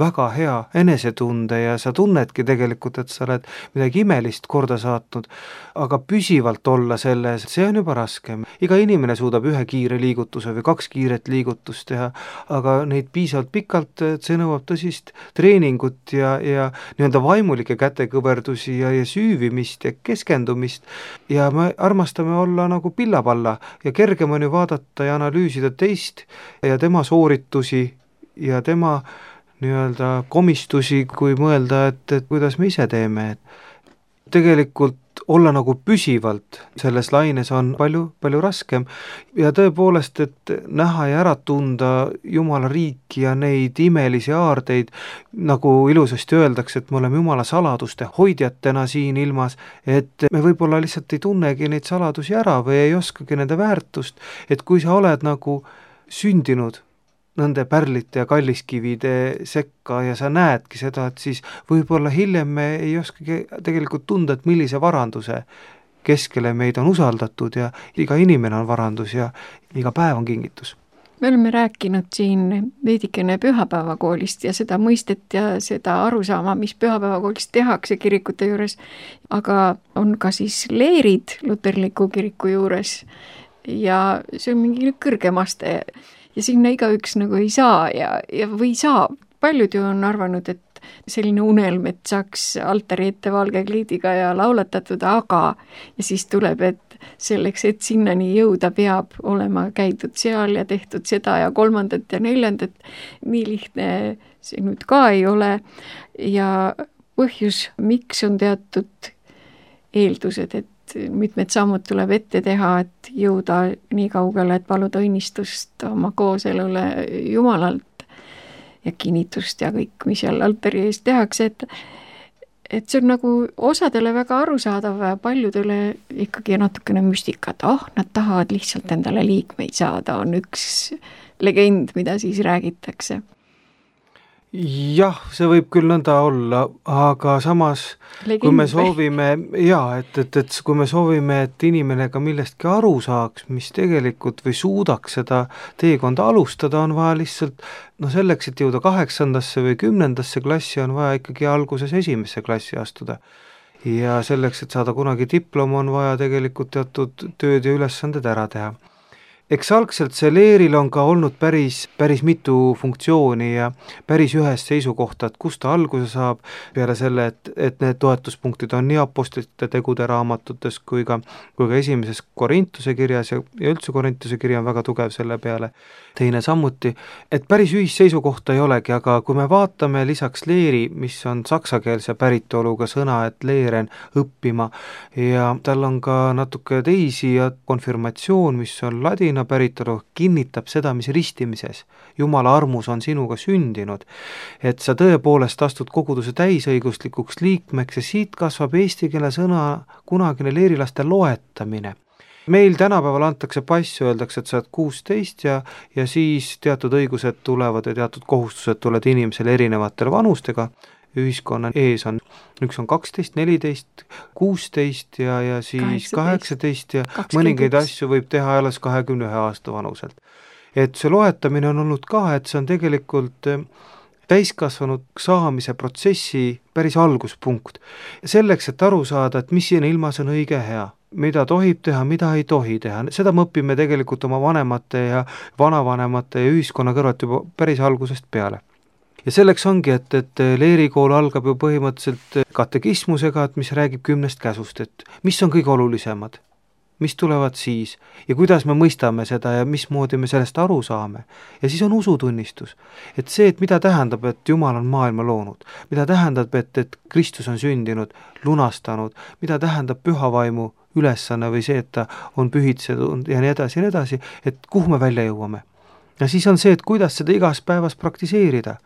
väga hea enesetunde ja sa tunnedki tegelikult, et sa oled midagi imelist korda saatnud, aga püsivalt olla selles, see on juba raskem. Iga inimene suudab 1 kiire liigutuse või 2 kiiret liigutust teha, aga neid piisavalt pikalt, et see nõuab tõsist treeningut ja nii-öelda vaimulikke kätekõverdusi ja süüvimist ja keskendumist ja me armastame olla nagu pillapalla ja kergem on ju vaadata ja analüüsida teist ja tema sooritusi ja tema nii-öelda komistusi, kui mõelda, et kuidas me ise teeme. Tegelikult olla nagu püsivalt selles laines on palju raskem ja tõepoolest, et näha ja ära tunda Jumala riiki ja neid imelisi aardeid, nagu ilusasti öeldakse, et me oleme Jumala saladuste hoidjatena siin ilmas, et me võib-olla lihtsalt ei tunnegi neid saladusi ära või ei oskagi nende väärtust, et kui sa oled nagu sündinud nende pärlite ja kalliskivide sekka ja sa näedki seda, et siis võib-olla hiljem me ei oskagi tegelikult tunda, et millise varanduse keskele meid on usaldatud ja iga inimene on varandus ja iga päev on kingitus. Me oleme rääkinud siin veidikene pühapäevakoolist ja seda mõistet ja seda arusaama, mis pühapäevakoolist tehakse kirikute juures, aga on ka siis leerid luterliku kiriku juures ja see on mingi kõrgem aste ja sinna igaüks nagu ei saa ja või saab. Paljud ju on arvanud, et selline unelm, et saaks altari ette valge kliidiga ja laulatatud, aga ja siis tuleb, et selleks, et sinnani jõuda, peab olema käidud seal ja tehtud seda ja 3. ja 4. Nii lihtne see nüüd ka ei ole ja põhjus, miks on teatud eeldused, et mitmed sammud tuleb ette teha, et jõuda nii kaugele, et paluda õnnistust oma kooselule Jumalalt ja kinnitust ja kõik, mis seal altari ees tehakse, et see on nagu osadele väga arusaadav ja paljudele ikkagi natukene müstika, et nad tahavad lihtsalt endale liikmeid saada, on üks legend, mida siis räägitakse. jah, see võib küll nõnda olla, aga samas kui me soovime, et kui me soovime, et inimene ka millestki aru saaks, mis tegelikult või suudaks seda teekonda alustada, on vaja lihtsalt, selleks, et jõuda 8. või 10. klassi, on vaja ikkagi alguses 1. klassi astuda. Ja selleks, et saada kunagi diplom, on vaja tegelikult teatud tööd ja ülesanded ära teha. Eks algselt see leeril on ka olnud päris mitu funktsiooni ja päris ühest seisukohta, et kust ta alguse saab, peale selle, et need toetuspunktid on nii apostlite tegude raamatutes kui ka 1. Korintuse kirjas ja üldse Korintuse kiri on väga tugev selle peale. Teine samuti, et päris ühist seisukohta ei olegi, aga kui me vaatame lisaks leeri, mis on saksakeelse päritoluga sõna, et leeren õppima, ja tal on ka natuke teisi ja konfirmatsioon, mis on ladina päritolu, kinnitab seda, mis ristimises Jumala armus on sinuga sündinud, et sa tõepoolest astud koguduse täisõiguslikuks liikmeks ja siit kasvab eesti keele sõna kunagine leerilaste loetamine. Meil tänapäeval antakse pass, öeldakse, et sa oled 16 ja siis teatud õigused tulevad ja teatud kohustused tulevad inimesele erinevatel vanustega. Ühiskonna ees on, üks on 12, 14, 16 ja siis 18 ja 21. Mõningaid asju võib teha alles 21 aasta vanuselt. Et see loetamine on olnud ka, et see on tegelikult täiskasvanud saamise protsessi päris alguspunkt. Selleks, et aru saada, et mis siin ilmas on õige hea, mida tohib teha, mida ei tohi teha, seda me õpime tegelikult oma vanemate ja vanavanemate ja ühiskonna kõrvalt juba päris algusest peale. Ja selleks ongi, et leerikool algab ju põhimõtteliselt katekismusega, et mis räägib 10 käsust, et mis on kõige olulisemad, mis tulevad siis ja kuidas me mõistame seda ja mismoodi me sellest aru saame. Ja siis on usutunnistus, et see, et mida tähendab, et Jumal on maailma loonud, mida tähendab, et Kristus on sündinud, lunastanud, mida tähendab pühavaimu ülesanne või see, et ta on pühitsenud ja nii edasi, et kuhu me välja jõuame. Ja siis on see, et kuidas seda igas päevas praktiseerida,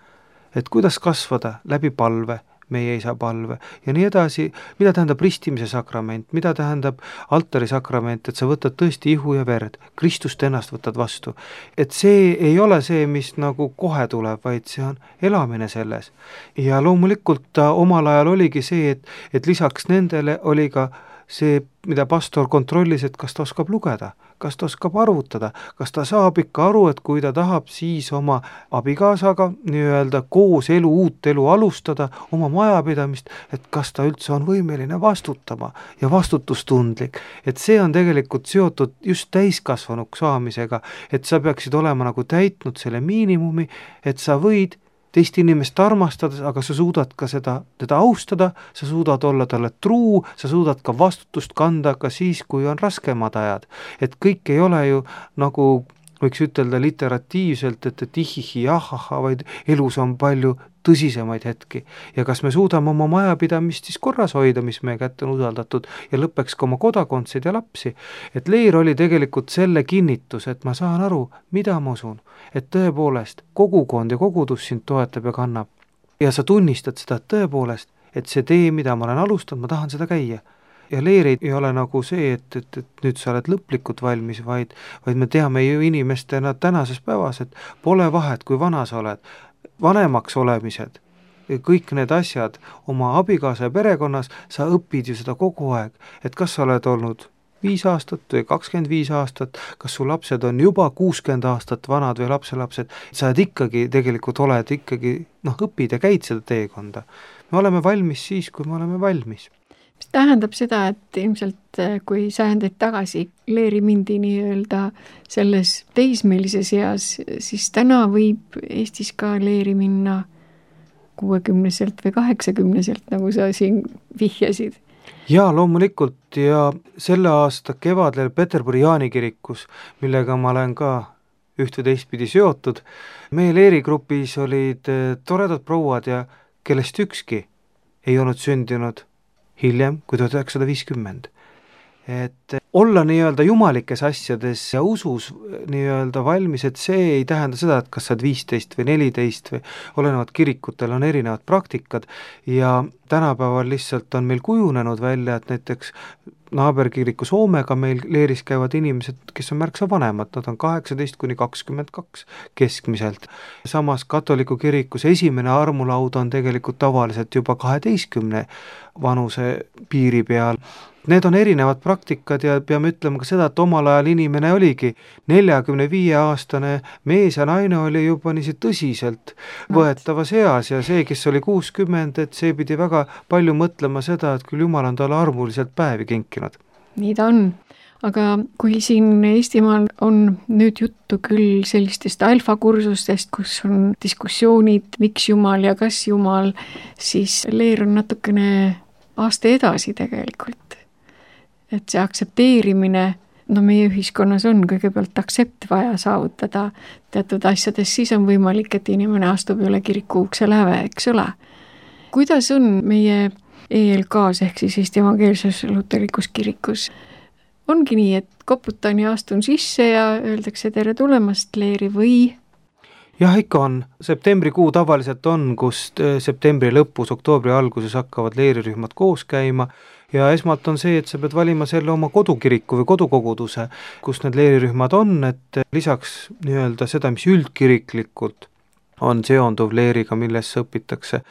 et kuidas kasvada läbi palve, meie isa palve ja nii edasi, mida tähendab ristimise sakrament, mida tähendab altari sakrament, et sa võtad tõesti ihu ja verd, Kristust ennast võtad vastu. Et see ei ole see, mis nagu kohe tuleb, vaid see on elamine selles. Ja loomulikult omal ajal oligi see, et lisaks nendele oli ka see, mida pastor kontrollis, et kas ta oskab lugeda, kas ta oskab arvutada, kas ta saab ikka aru, et kui ta tahab siis oma abikaasaga nii-öelda koos uut elu alustada, oma majapidamist, et kas ta üldse on võimeline vastutama ja vastutustundlik. Et see on tegelikult seotud just täiskasvanuks saamisega, et sa peaksid olema nagu täitnud selle miinimumi, et sa võid teist inimest armastades, aga sa suudad ka teda austada, sa suudad olla talle truu, sa suudad ka vastutust kanda ka siis, kui on raskemad ajad. Et kõik ei ole ju nagu võiks ütelda literatiivselt, et ihihi, ahaha, vaid elus on palju tõsisemaid hetki. Ja kas me suudame oma majapidamist siis korras hoida, mis meie kätte on usaldatud ja lõppeks ka oma kodakondseid ja lapsi. Et leer oli tegelikult selle kinnitus, et ma saan aru, mida ma usun, et tõepoolest kogukond ja kogudus sind toetab ja kannab. Ja sa tunnistad seda tõepoolest, et see tee, mida ma olen alustanud, ma tahan seda käia. Ja leer ei ole nagu see, et nüüd sa oled lõplikult valmis, vaid me teame ju inimestena tänases päevas, et pole vahet, kui vana sa oled, vanemaks olemised, kõik need asjad oma abikaasa ja perekonnas, sa õpid ju seda kogu aeg, et kas sa oled olnud 5 aastat või 25 aastat, kas su lapsed on juba 60 aastat vanad või lapselapsed, sa ikkagi tegelikult oled ikkagi, õpid ja käid seda teekonda. Me oleme valmis siis, kui me oleme valmis. Mis tähendab seda, et ilmselt kui sajandeid tagasi leeri mindi nii-öelda selles teismelises eas, siis täna võib Eestis ka leeri minna 60-selt või 80-selt, nagu sa siin vihjasid. Jaa, loomulikult ja selle aasta kevadel Peterburi Jaani kirikus, millega ma olen ka üht või teistpidi seotud, meie leerigrupis olid toredad prouad ja kellest ükski ei olnud sündinud hiljem kui 1950. Et olla nii-öelda jumalikes asjades ja usus nii-öelda valmis, et see ei tähenda seda, et kas sa oled 15 või 14 või olenevad kirikutel on erinevad praktikad ja tänapäeval lihtsalt on meil kujunenud välja, et näiteks naaberkiriku Soomega meil leeris käivad inimesed, kes on märksa vanemad, nad on 18–22 keskmiselt. Samas katoliku kirikus esimene armulaud on tegelikult tavaliselt juba 12 vanuse piiri peal. Need on erinevad praktikad ja peame ütlema ka seda, et omal ajal inimene oligi 45-aastane mees ja naine oli juba niisid tõsiselt võetavas eas ja see, kes oli 60, et see pidi väga palju mõtlema seda, et küll Jumal on talle armuliselt päevi kinkinud. Nii ta on. Aga kui siin Eestimaal on nüüd juttu küll sellistest alfakursustest, kus on diskussioonid, miks Jumal ja kas Jumal, siis leer on natukene aasta edasi tegelikult. Et see aksepteerimine, meie ühiskonnas on kõigepealt aktsept vaja saavutada teatud asjades, siis on võimalik, et inimene astub üle kiriku ukse läve, eks ole. Kuidas on meie ELK-s ehk siis Eesti Evangeelses Luterlikus Kirikus? Ongi nii, et koputan ja astun sisse ja öeldakse tere tulemast leeri või? Jah, ikka on. Septembrikuu tavaliselt on, kust septembri lõpus, oktoobri alguses hakkavad leerirühmad koos käima ja esmalt on see, et sa pead valima selle oma kodukiriku või kodukoguduse, kus need leerirühmad on, et lisaks nii-öelda seda, mis üldkiriklikult on seonduv leeriga, millesse õpitakse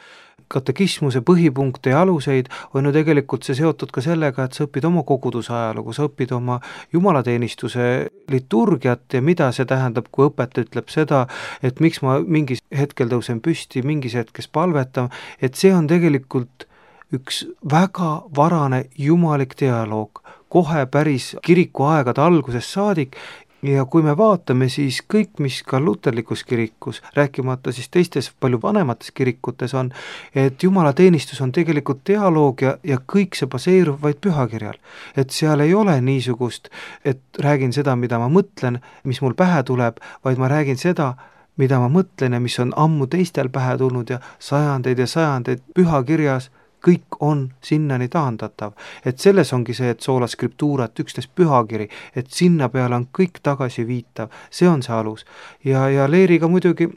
katekismuse põhipunkte ja aluseid, on ju tegelikult see seotud ka sellega, et sa õpid oma koguduse ajalugu, sa õpid oma jumalateenistuse liturgiat ja mida see tähendab, kui õpetaja ütleb seda, et miks ma mingis hetkel tõusen püsti, mingis hetkes palvetan, et see on tegelikult üks väga varane jumalik dialoog, kohe päris kiriku aegade algusest saadik ja kui me vaatame, siis kõik, mis ka luterlikus kirikus, rääkimata siis teistes palju vanemates kirikutes on, et jumalateenistus on tegelikult dialoog ja kõik see baseerub vaid pühakirjal. Et seal ei ole niisugust, et räägin seda, mida ma mõtlen, mis mul pähe tuleb, vaid ma räägin seda, mida ma mõtlen ja mis on ammu teistel pähe tulnud ja sajandeid pühakirjas, kõik on sinnani taandatav. Et selles ongi see, et sola scriptura, et üksnes pühakiri, et sinna peale on kõik tagasi viitav, see on see alus. Ja leeriga muidugi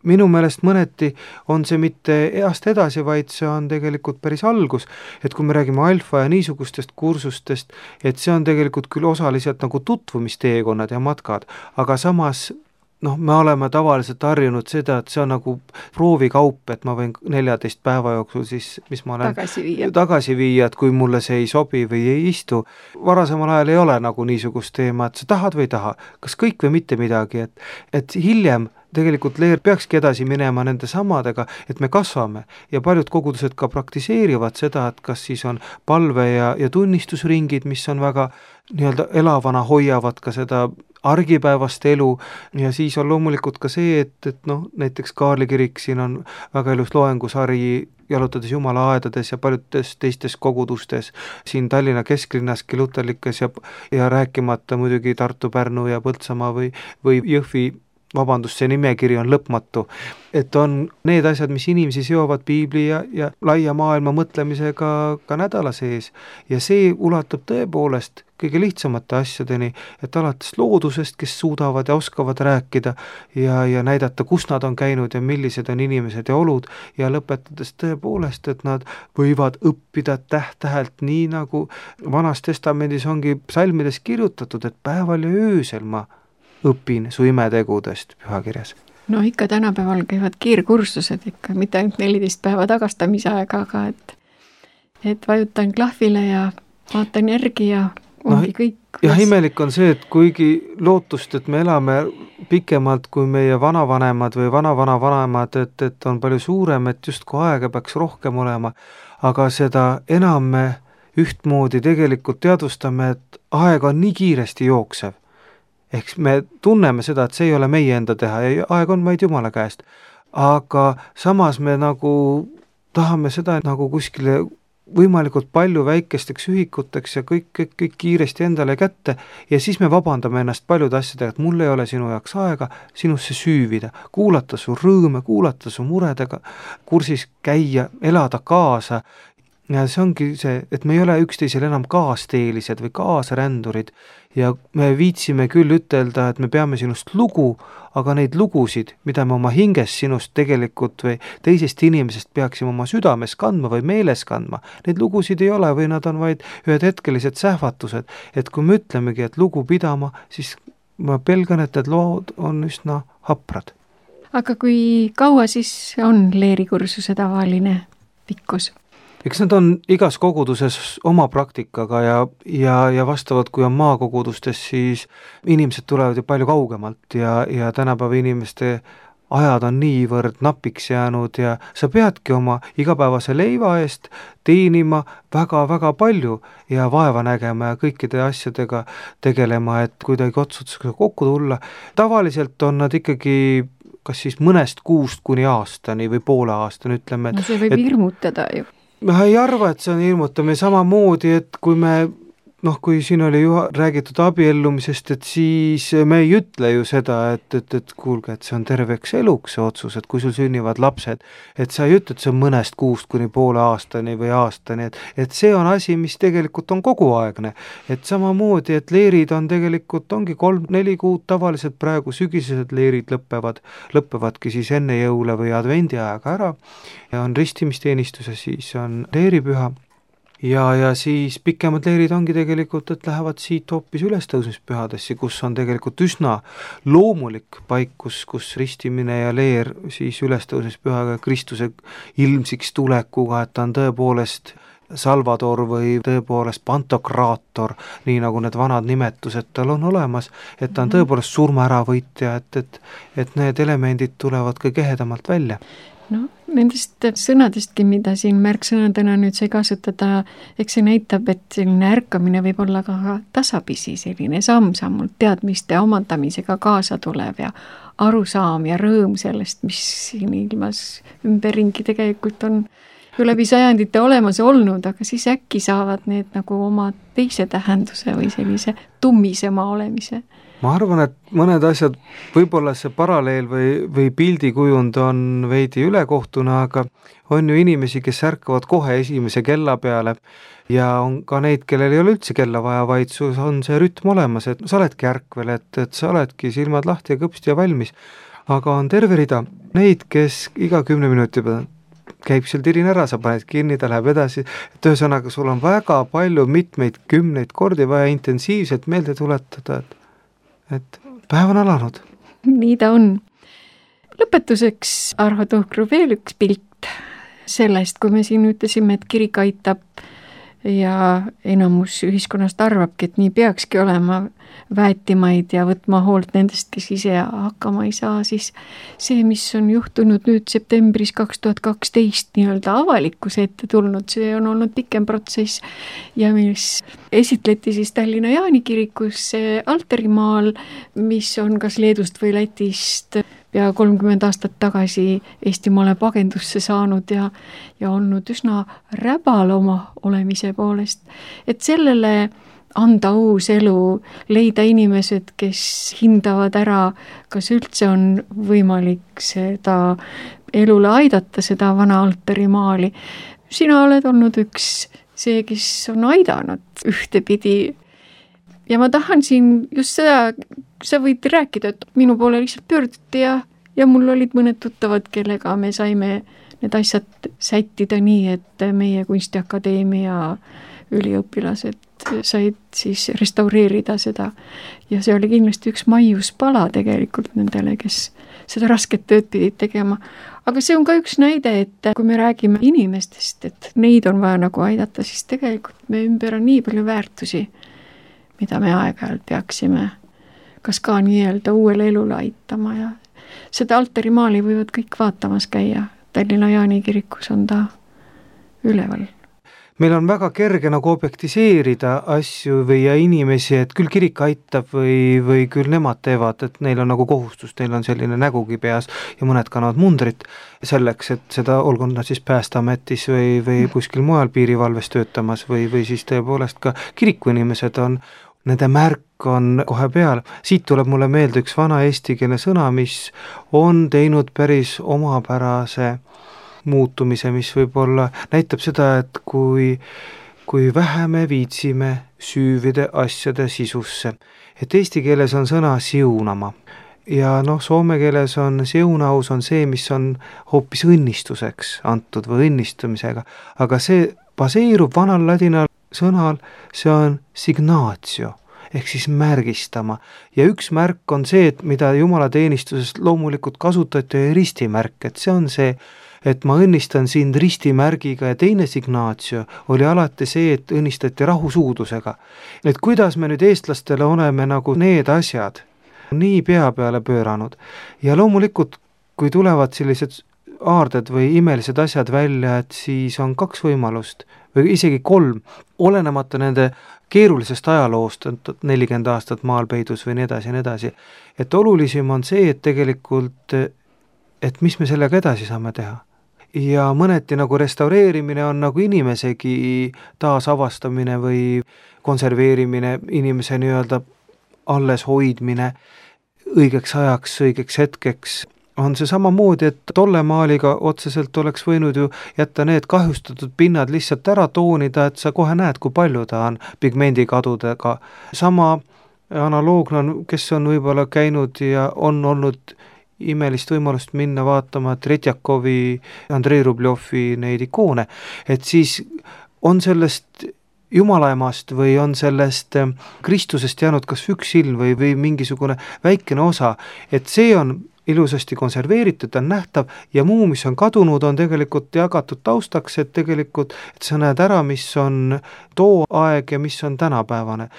minu meelest mõneti on see mitte east edasi, vaid see on tegelikult päris algus, et kui me räägime alfa ja niisugustest kursustest, et see on tegelikult küll osaliselt nagu tutvumisteekonnad ja matkad, aga samas me oleme tavaliselt harjunud seda, et see on nagu proovikaup, et ma võin 14 päeva jooksul siis, mis ma olen tagasi viia, et kui mulle see ei sobi või ei istu. Varasemal ajal ei ole nagu niisugust teema, et sa tahad või ei taha, kas kõik või mitte midagi, et hiljem tegelikult leer peakski edasi minema nende samadega, et me kasvame ja paljud kogudused ka praktiseerivad seda, et kas siis on palve ja tunnistusringid, mis on väga nii-öelda elavana, hoiavad ka seda argipäevast elu ja siis on loomulikult ka see, et näiteks Kaarli kirik, siin on väga ilus loengusari jalutades Jumalaaedades ja paljudes teistes kogudustes, siin Tallinna kesklinnaski luterlikes ja rääkimata muidugi Tartu, Pärnu ja Põltsamaa või Jõhvi, see nimekiri on lõpmatu, et on need asjad, mis inimesi seovad piibli ja laia maailma mõtlemisega ka nädala sees ja see ulatub tõepoolest kõige lihtsamate asjadeni, et alates loodusest, kes suudavad ja oskavad rääkida ja näidata, kus nad on käinud ja millised on inimesed ja olud ja lõpetades tõepoolest, et nad võivad õppida täht-tähelt nii nagu Vanas Testamendis ongi psalmides kirjutatud, et päeval ja öösel ma õpin su imetegudest pühakirjas. Ikka tänapäeval käivad kiirkursused ikka, mitte ainult 14 päeva tagastamise aega, aga et vajutan klahvile ja vaatan järgi ja ongi kõik. Ja imelik on see, et kuigi lootust, et me elame pikemalt kui meie vanavanemad või vanavanavanemad, et on palju suurem, et justkui aega peaks rohkem olema, aga seda enam me ühtmoodi tegelikult teadvustame, et aeg on nii kiiresti jooksev. Ehk me tunneme seda, et see ei ole meie enda teha ja aeg on vaid Jumala käest. Aga samas me nagu tahame seda nagu kuskile võimalikult palju väikesteks ühikuteks ja kõik kiiresti endale kätte ja siis me vabandame ennast paljude asjadega, et mul ei ole sinu jaoks aega sinusse süüvida, kuulata su rõõme, kuulata su muredega, kursis käia, elada kaasa ja see ongi see, et me ei ole üksteisel enam kaasteelised või kaasrändurid ja me viitsime küll ütelda, et me peame sinust lugu, aga neid lugusid, mida me oma hinges sinust tegelikult või teisest inimesest peaksime oma südames kandma või meeles kandma, neid lugusid ei ole või nad on vaid ühed hetkelised sähvatused, et kui me ütlemegi, et lugu pidama, siis ma pelgan, et need lood on üsna haprad. Aga kui kaua siis on leerikursuse tavaline pikkus? Eks nad on igas koguduses oma praktikaga ja vastavalt, kui on maakogudustes, siis inimesed tulevad ju palju kaugemalt ja tänapäeva inimeste ajad on niivõrd napiks jäänud ja sa peadki oma igapäevase leiva eest teenima väga-väga palju ja vaeva nägema ja kõikide asjadega tegelema, et kuidagi otsustusega kokku tulla. Tavaliselt on nad ikkagi kas siis mõnest kuust kuni aastani või poole aastani, ütleme. No see võib hirmutada ju. Ma ei arva, et see on hirmutamine samamoodi, et kui me kui siin oli räägitud abiellumisest, et siis me ei ütle ju seda, et kuulge, et see on terveks eluks see otsus, et kui sul sünnivad lapsed, et sa ei ütle, et see on mõnest kuust kuni poole aastani või aastani, et see on asi, mis tegelikult on koguaegne. Et samamoodi, et leerid on tegelikult, ongi 3-4 kuud tavaliselt praegu sügisesed leerid lõppevadki siis enne jõule või advendi ajaga ära ja on ristimisteenistus ja siis on leeripüha. Ja siis pikemad leerid ongi tegelikult, et lähevad siit hoopis ülestõusmispühadesse, kus on tegelikult üsna loomulik paik, kus ristimine ja leer siis ülestõusmispühaga Kristuse ilmsiks tulekuga, et ta on tõepoolest Salvador või tõepoolest Pantokraator, nii nagu need vanad nimetused tal on olemas, et ta on tõepoolest surmaäravõitja, et need elemendid tulevad kõige ehedamalt välja. No, nendest sõnadestki, mida siin märksõnadena nüüd sai kasutada, eks see näitab, et selline ärkamine võib olla ka tasapisi, selline samm-sammult teadmiste omandamisega kaasa tulev ja arusaam ja rõõm sellest, mis siin ilmas ümberringi tegelikult on ju läbi sajandite olemas olnud, aga siis äkki saavad need nagu oma teise tähenduse või sellise tummisema olemise. Ma arvan, et mõned asjad, võib-olla see paralleel või pildikujund on veidi ülekohtuna, aga on ju inimesi, kes ärkavad kohe esimese kella peale ja on ka neid, kellel ei ole üldse kella vaja, vaid sul on see rütm olemas, et sa oledki ärkvel, et sa oledki silmad lahti ja kõpsti ja valmis. Aga on terve rida neid, kes iga 10 minuti peale käib seal tirin ära, sa paned kinni, ta läheb edasi, et ühesõnaga sul on väga palju mitmeid 10 kordi vaja intensiivselt meelde tuletada, et päev on alanud. Nii ta on. Lõpetuseks, Arho Tuhkru, veel üks pilt sellest, kui me siin ütlesime, et kirik aitab ja enamus ühiskonnast arvabki, et nii peakski olema väetimaid ja võtma hoolt nendest, kes ise hakkama ei saa, siis see, mis on juhtunud nüüd septembris 2012 nii-öelda avalikkuse ette tulnud, see on olnud pikem protsess ja mis esitleti siis Tallinna Jaani kirikus alterimaal, mis on kas Leedust või Lätist pea 30 aastat tagasi Eestimaale pagendusse saanud ja olnud üsna räbal oma olemise poolest. Et sellele anda uus elu, leida inimesed, kes hindavad ära, kas üldse on võimalik seda elule aidata, seda vana alterimaali. Sina oled olnud üks see, kes on aidanud ühtepidi. Ja ma tahan siin just seda, sa võid rääkida, et minu poole lihtsalt pöörduti ja mul olid mõned tuttavad, kellega me saime need asjad sättida nii, et meie kunstiakadeemia üliõpilased said siis restaureerida seda. Ja see oli kindlasti üks maiuspala tegelikult nendele, kes seda rasket tööd pidid tegema. Aga see on ka üks näide, et kui me räägime inimestest, et neid on vaja nagu aidata, siis tegelikult me ümber on nii palju väärtusi, mida me aeg-ajalt peaksime kas ka nii-öelda uuele elule aitama ja seda alterimaali võivad kõik vaatamas käia. Tallinna Jaani kirikus on ta üleval. Meil on väga kerge nagu objektiseerida asju või inimesi, et küll kirik aitab või küll nemad teevad, et neil on nagu kohustus, neil on selline nägugi peas ja mõned kannavad mundrit selleks, et seda olgu nad siis Päästeametis või kuskil mujal piirivalves töötamas või siis tõepoolest ka kirikuinimesed on, nende märk on kohe peal. Siit tuleb mulle meelde üks vana eestikeelne sõna, mis on teinud päris omapärase muutumise, mis võib-olla näitab seda, et kui vähe me viitsime süüvida asjade sisusse. Et eesti keeles on sõna siunama ja soome keeles on siunaus on see, mis on hoopis õnnistuseks antud või õnnistumisega, aga see baseerub vanal ladina sõnal, see on signatio ehk siis märgistama. Ja üks märk on see, et mida jumalateenistuses loomulikult kasutati ristimärk, et see on see, et ma õnnistan sind ristimärgiga ja teine signatio oli alati see, et õnnistati rahusuudusega. Et kuidas me nüüd eestlastele oleme nagu need asjad nii pea peale pööranud ja loomulikult, kui tulevad sellised aarded või imelised asjad välja, et siis on 2 võimalust või isegi 3, olenemata nende keerulisest ajaloost, 40 aastat maalpeidus või nii edasi, et olulisim on see, et tegelikult, et mis me sellega edasi saame teha. Ja mõneti nagu restaureerimine on nagu inimesegi taasavastamine või konserveerimine, inimese nii-öelda alles hoidmine õigeks ajaks, õigeks hetkeks, on see samamoodi, et tolle maaliga otseselt oleks võinud ju jätta need kahjustatud pinnad lihtsalt ära toonida, et sa kohe näed, kui palju ta on pigmendikadudega. Sama analoogna on, kes on võib-olla käinud ja on olnud imelist võimalust minna vaatama Tretjakovi, Andrei Rubljovi neid ikoone, et siis on sellest jumalaemast või on sellest Kristusest jäänud kas üks silm või mingisugune väikene osa, et see on ilusasti konserveeritud, on nähtav ja muu, mis on kadunud, on tegelikult jagatud taustaks, et tegelikult et sa näed ära, mis on too aeg ja mis on tänapäevane.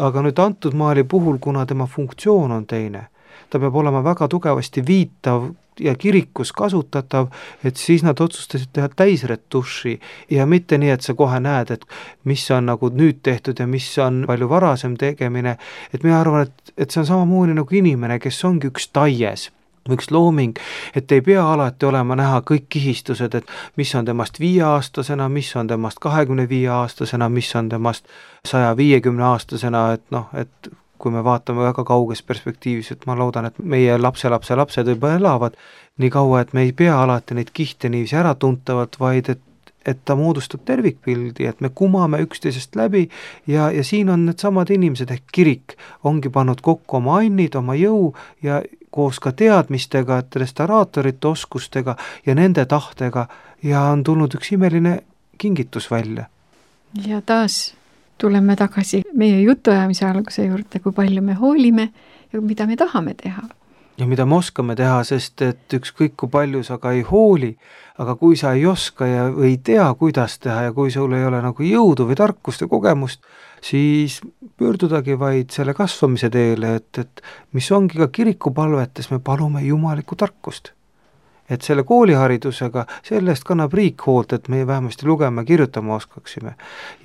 Aga nüüd antud maali puhul, kuna tema funktsioon on teine, ta peab olema väga tugevasti viitav ja kirikus kasutatav, et siis nad otsustasid teha täisretuši ja mitte nii, et sa kohe näed, et mis on nagu nüüd tehtud ja mis on palju varasem tegemine, et mina arvan, et see on samamoodi nagu inimene, kes ongi üks taies, üks looming, et ei pea alati olema näha kõik kihistused, et mis on temast 5-aastasena, mis on temast 25-aastasena, mis on temast 150-aastasena, et kui me vaatame väga kauges perspektiivis, et ma loodan, et meie lapsed juba elavad nii kaua, et me ei pea alati neid kihte niiviisi ära tuntavalt, vaid et ta moodustab tervikpildi, et me kumame üksteisest läbi ja siin on need samad inimesed ehk kirik ongi pannud kokku oma annid, oma jõu ja koos ka teadmistega, et restauraatorite oskustega ja nende tahtega ja on tulnud üks imeline kingitus välja. Ja taas tuleme tagasi meie jutuajamise alguse juurde, kui palju me hoolime ja mida me tahame teha. Ja mida me oskame teha, sest et ükskõik kui palju sa ka ei hooli, aga kui sa ei oska ja ei tea, kuidas teha ja kui sul ei ole nagu jõudu või tarkust ja kogemust, siis pöördudagi vaid selle kasvamise teele, et mis ongi ka kirikupalvetes, me palume jumalikku tarkust. Et selle kooliharidusega, sellest kannab riik hoolt, et me vähemasti lugema ja kirjutama oskaksime.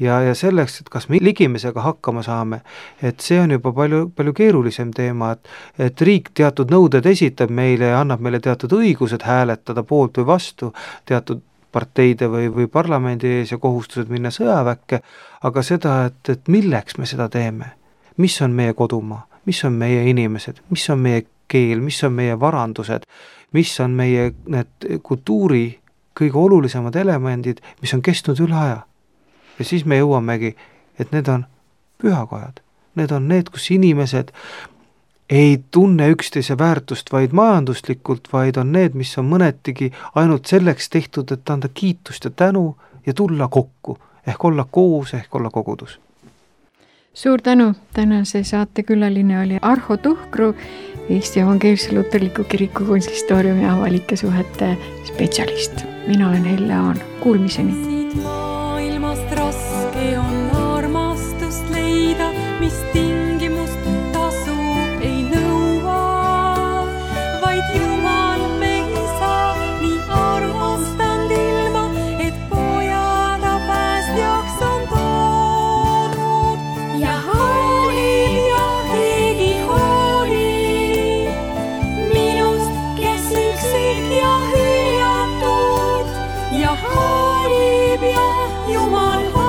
Ja selleks, et kas me ligimisega hakkama saame, et see on juba palju keerulisem teema, et riik teatud nõuded esitab meile ja annab meile teatud õigused hääletada poolt või vastu teatud parteide või parlamendi ees ja kohustused minna sõjaväkke, aga seda, et milleks me seda teeme, mis on meie kodumaa, mis on meie inimesed, mis on meie keel, mis on meie varandused, mis on meie need kultuuri kõige olulisemad elemendid, mis on kestnud üle aja. Ja siis me jõuamegi, et need on pühakojad. Need on need, kus inimesed ei tunne üksteise väärtust vaid majanduslikult, vaid on need, mis on mõnetigi ainult selleks tehtud, et anda kiitust ja tänu ja tulla kokku, ehk olla koos, ehk olla kogudus. Suur tänu, tänase saate külaline oli Arho Tuhkru, Eesti Evangeelse Luterliku Kiriku konsistooriumi avalike suhete spetsialist. Mina olen Helle Aan, kuulmiseni. Siit maailmast raske on armastust leida, mis tingimust tasu ei nõua, vaid Jumal me isa nii armastanud ilma, et pojada päästjaks on toonud ja hoolib ja keegi hoolib minust, kes üksik ja hüljatud ja hoolib ja Jumal